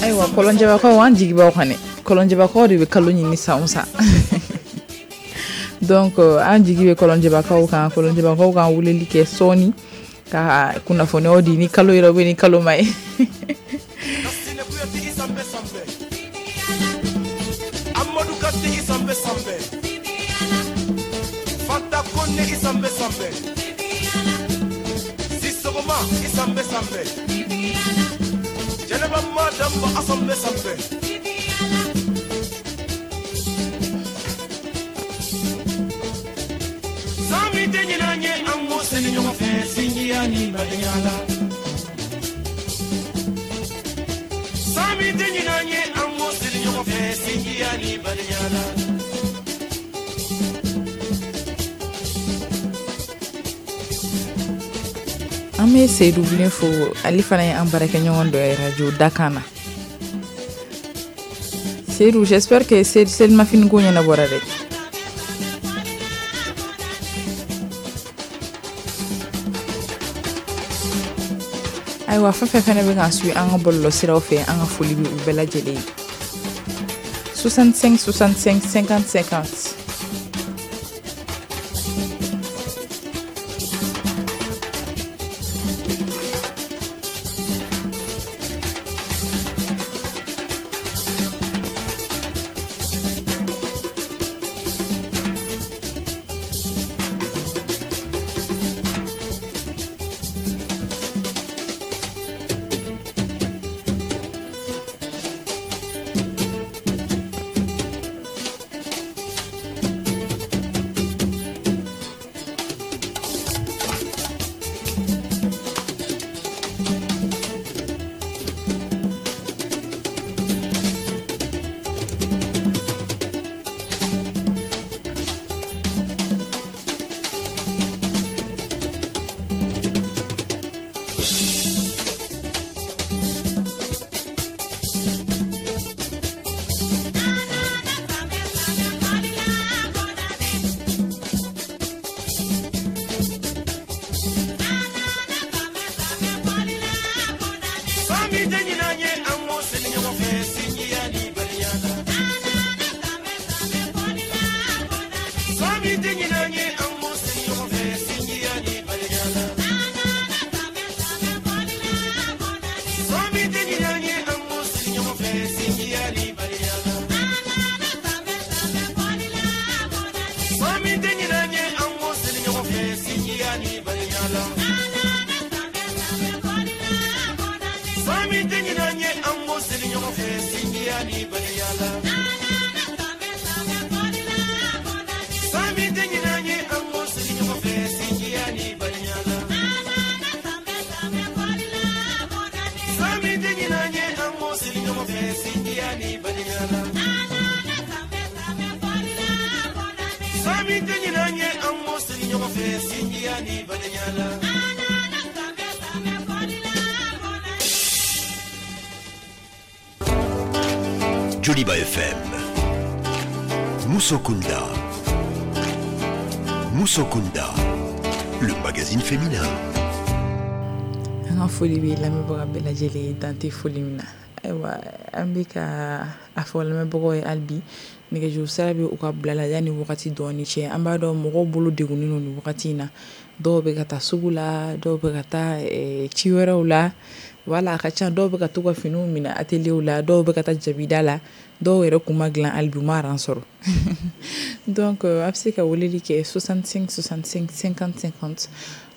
Ayiwa kɔlɔnjɛbakaw, an jigi b'aw kan dɛ. Kɔlɔnjɛbakaw de bɛ kalo ɲini san o san. Donc an jigi bɛ kɔlɔnjɛbakaw kan. Kɔlɔnjɛbakaw kan weleli kɛ sɔɔni ka kunnafoniyaw di ni kalo yɛrɛ bɛ ni kalo ma ye. An bɛ Seydou Bilen fo, ale fana ye an baarakɛɲɔgɔn dɔ ye radio Dakan na. Seydou, j'espère que selimafini ko ɲɛnabɔra dɛ. Ayiwa, fɛn fɛn fɛnɛ bɛ k'an suit an ka bɔlɔlɔsiraw fɛ, an ka foli bɛ u bɛɛ lajɛlen ye. soixante-cinq soixante-cinq cinquante cinquante. Joliba F M, Musokunda, Musokunda, le magazine féminin. An ka foli bɛ lamɛnbaga bɛɛ lajɛlen ye, dan tɛ foli min na. Ayiwa, an bɛ ka a fɔ lamɛnbagaw ye hali bi nɛgɛjuru sira bɛ u ka bila la yanni wagati dɔɔni cɛ. An b'a dɔn mɔgɔw bolo degunnen don nin wagati in na. Dɔw bɛ ka taa sugu la, dɔw bɛ ka taa ci wɛrɛw la. Wala a ka ca, dɔw bɛ ka to ka finiw minɛ atelier la, dɔw bɛ ka taa jabida la, dɔw yɛrɛ kun ma dilan hali bi u ma ran sɔrɔ. Donc a bɛ se ka weleli kɛ soixante-cinq soixante-cinq cinquante cinquante.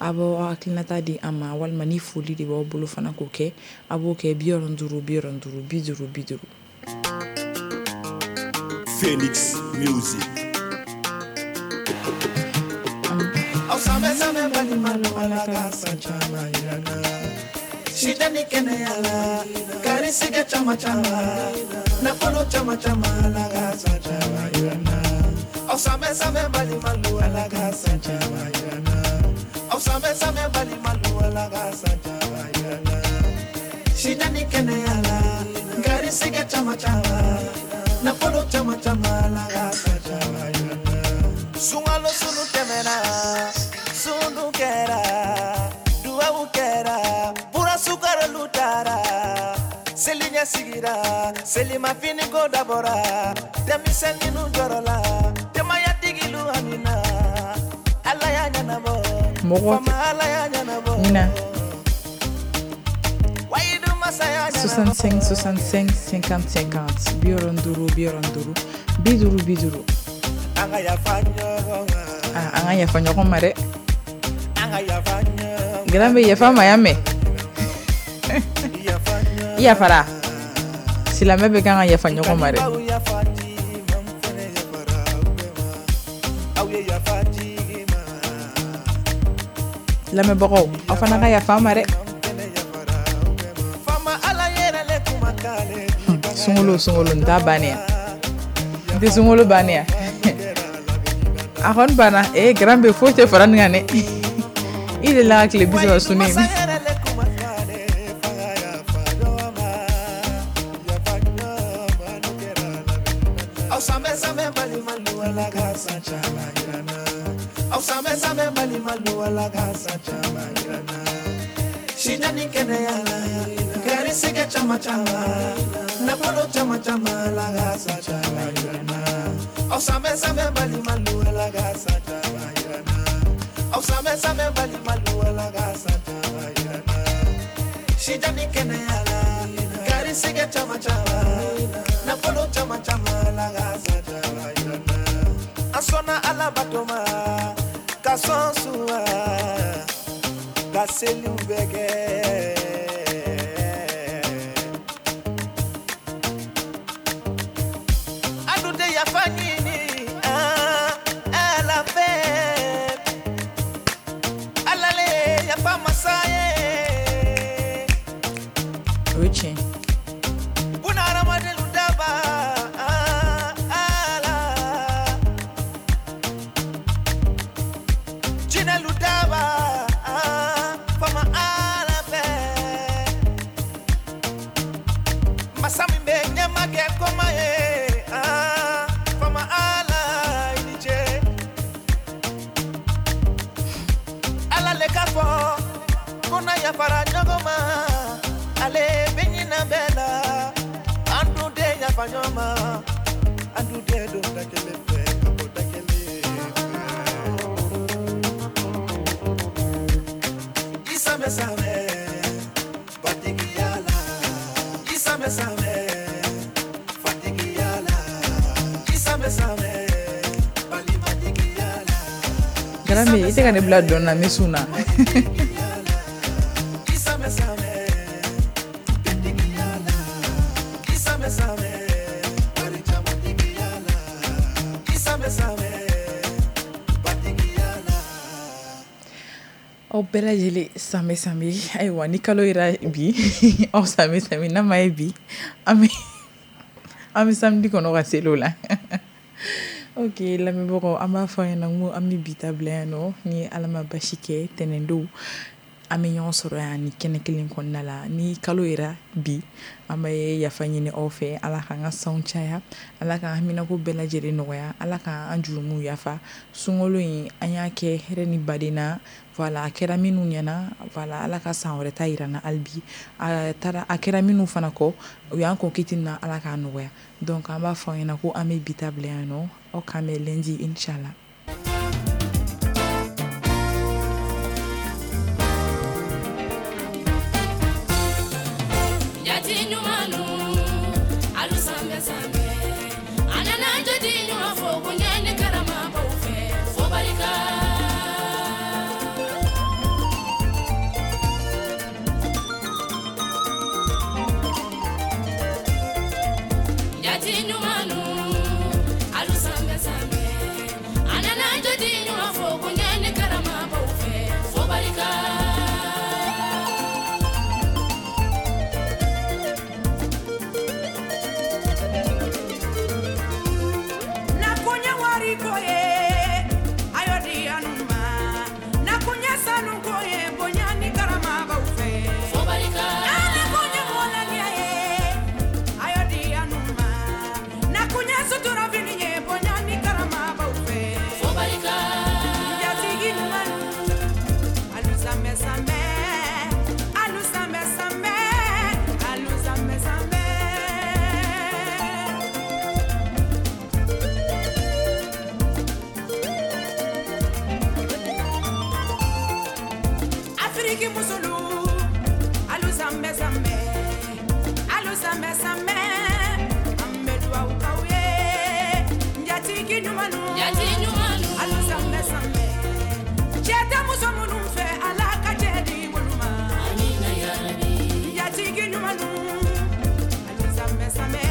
A b'aw hakilinata di an ma, walima ni foli de b'aw bolo fana k'o kɛ, a b'o kɛ bi wɔɔrɔ duuru bi wɔɔrɔ duuru bi duuru bi duuru. Phoenix Music. Shida ni kɛnɛya la, garisɛgɛ caman caman, nafolo caman caman, Ala ka san caman yira n na. Aw sanbɛ sanbɛ balimalu, Ala ka san caman yira n na. Aw sanbɛ sanbɛ balimalu, Ala ka san caman yira n na. Shida ni kɛnɛya la, garisɛgɛ caman caman, nafolo caman caman, Ala ka san caman yira n na. Sunkalo sunu tɛmɛna, sunu kɛra, duwawu kɛra. ɲɛ sigira selimafini ko dabɔra denmisɛnninw jɔrɔla denbayatigilu hamina Ala y'a ɲɛnabɔ mɔgɔ faama Ala y'a ɲɛnabɔ ɲina wayidu masa y'a ɲɛnabɔ soixante-cinq soixante-cinq cinquante cinquante bi wɔɔrɔ ni duuru bi wɔɔrɔ ni duuru bi duuru bi duuru an ka yafa ɲɔgɔn ma ah an ka yafa ɲɔgɔn ma dɛ an ka yafa ɲɔgɔn ma Grand bɛ yafa ma yan mɛn yafa ɲɔgɔn i yafara silamɛ bɛ kan ka yafa ɲɔgɔn ma dɛ aw yafa di ma n fɛnɛ yafara aw bɛɛ ma aw ye yafa jigi ma lamɛnbagaw aw fana ka yafa an ma dɛ n fɛnɛ yafara aw bɛɛ ma faama Ala yɛrɛ le kuma k'ale sunkalo sunkalo n t'a bannen yan n tɛ sunkalo bannen yan a kɔni banna ee grand bɛ foyi tɛ fara nin kan dɛ i delila ka tile bi saba sun masa ne yɛrɛ le kuma k'ale fanga yafa ɲɔgɔn ma yafa ɲɔgɔn ma n'o kɛra la bɛ ɲinɛ na aw sanbɛ sanbɛ balimalu Ala ka san caman yira n na aw sanbɛ sanbɛ balimalu Ala ka san caman yira n na sijan ni kɛnɛya la garisɛgɛ caman caman nafolo caman caman Ala ka san caman yira n na aw sanbɛ sanbɛ balimalu Ala ka san caman yira n na aw sanbɛ sanbɛ balimalu Ala ka san caman yira n na sijan ni kɛnɛya la garisɛgɛ caman caman nafolo caman caman Ala ka san caman yira n na an sɔnna Ala bato ma ka sɔn suwa ka seliw bɛɛ kɛ an dun tɛ yafa ɲini ah, Ala fɛ Ala le ye yafa masa ye o ye tiɲɛ Bunahadamadenw daba ah, Ala jinɛlu daba ah, faama Ala fɛ masa min bɛ ɲɛma kɛ koma ye ah, faama Ala i ni ce Ala le k'a fɔ ko n'a yafara ɲɔgɔn ma ale bɛ ɲinɛ bɛɛ la an dun tɛ yafa ɲɔgɔn ma an dun tɛ don da kelen fɛ ka bɔ da kelen fɛ i sanbɛ sanbɛ batigiya la i sanbɛ sanbɛ fatigiya la i sanbɛ sanbɛ balimatigiya la Grand bɛ i tɛ ka ne bila dɔn na n bɛ sun na i sanbɛ sanbɛ bɛntigiya la i sanbɛ sanbɛ barijamatigiya la i sanbɛ sanbɛ batigiya la. Aw bɛɛ lajɛlen sanbɛ sanbɛ ayiwa ni kalo yera bi aw sanbɛ sanbɛ n'a ma ye bi an bɛ an bɛ samedi kɔnɔ ka seli o la ok lamɛnbagaw an b'a fɔ aw ɲɛna ko an bɛ bi ta bila yan nɔ ni Ala ma basi kɛ tɛnɛndon an bɛ ɲɔgɔn sɔrɔ yan ni kɛnɛ kelen kɔnɔna la ni kalo yera bi an bɛ yafa ɲini aw fɛ Ala k'an ka sanw caya Ala k'an haminako bɛɛ lajɛlen nɔgɔya Ala k'an jurumuw yafa sunkalo in an y'a kɛ hɛrɛ ni baden na voilà a kɛra minnu ɲɛna voilà Ala ka san wɛrɛ ta yira n na hali bi a taara a kɛra minnu fana kɔ u y'an kɔn kiti min na Ala k'a nɔgɔya donc an b'a fɔ aw ɲɛna ko an bɛ bi ta bila yan nɔ aw k'an bɛn lundi inchallah. Jati ɲumannu alu sanbɛ sanbɛ a nana jati ɲuman fo bonya ni karama b'aw fɛ fo barika. Jati ɲumannu alu sanbɛ sanbɛ a Njatigi musolu alu sanbɛ sanbɛ alu sanbɛ sanbɛ an bɛ duwawu k'aw ye njatigi ɲumannu jatigi ɲumannu alu sanbɛ sanbɛ cɛ tɛ muso minnu fɛ Ala ka cɛ di olu ma amina yarabi njatigi ɲumannu alu sanbɛ sanbɛ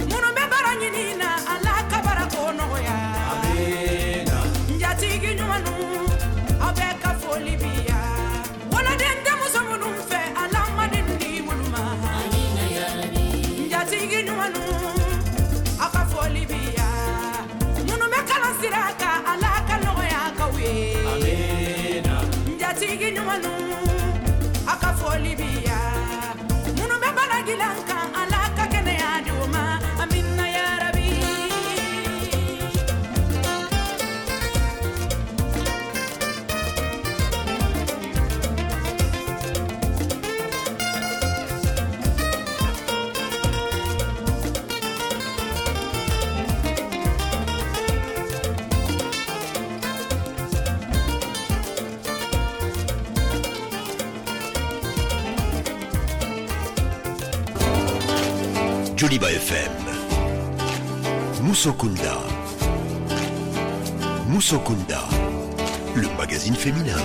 minnu bɛ baara ɲini na Ala ka baara ko nɔgɔya amina njatigi ɲumannu aw bɛɛ ka foli bi yan woloden tɛ muso minnu fɛ Ala ma den di olu ma amina yarabi njatigi ɲumannu aw ka foli bi yan minnu bɛ kalan sira kan Ala ka nɔgɔya k'aw ye amina njatigi ɲumannu aw ka foli bi yan minnu bɛ bana dilan kan Ala ka kɛnɛya di u ma amina yarabi. Joliba F M. Musokunda. Musokunda, le magazine féminin.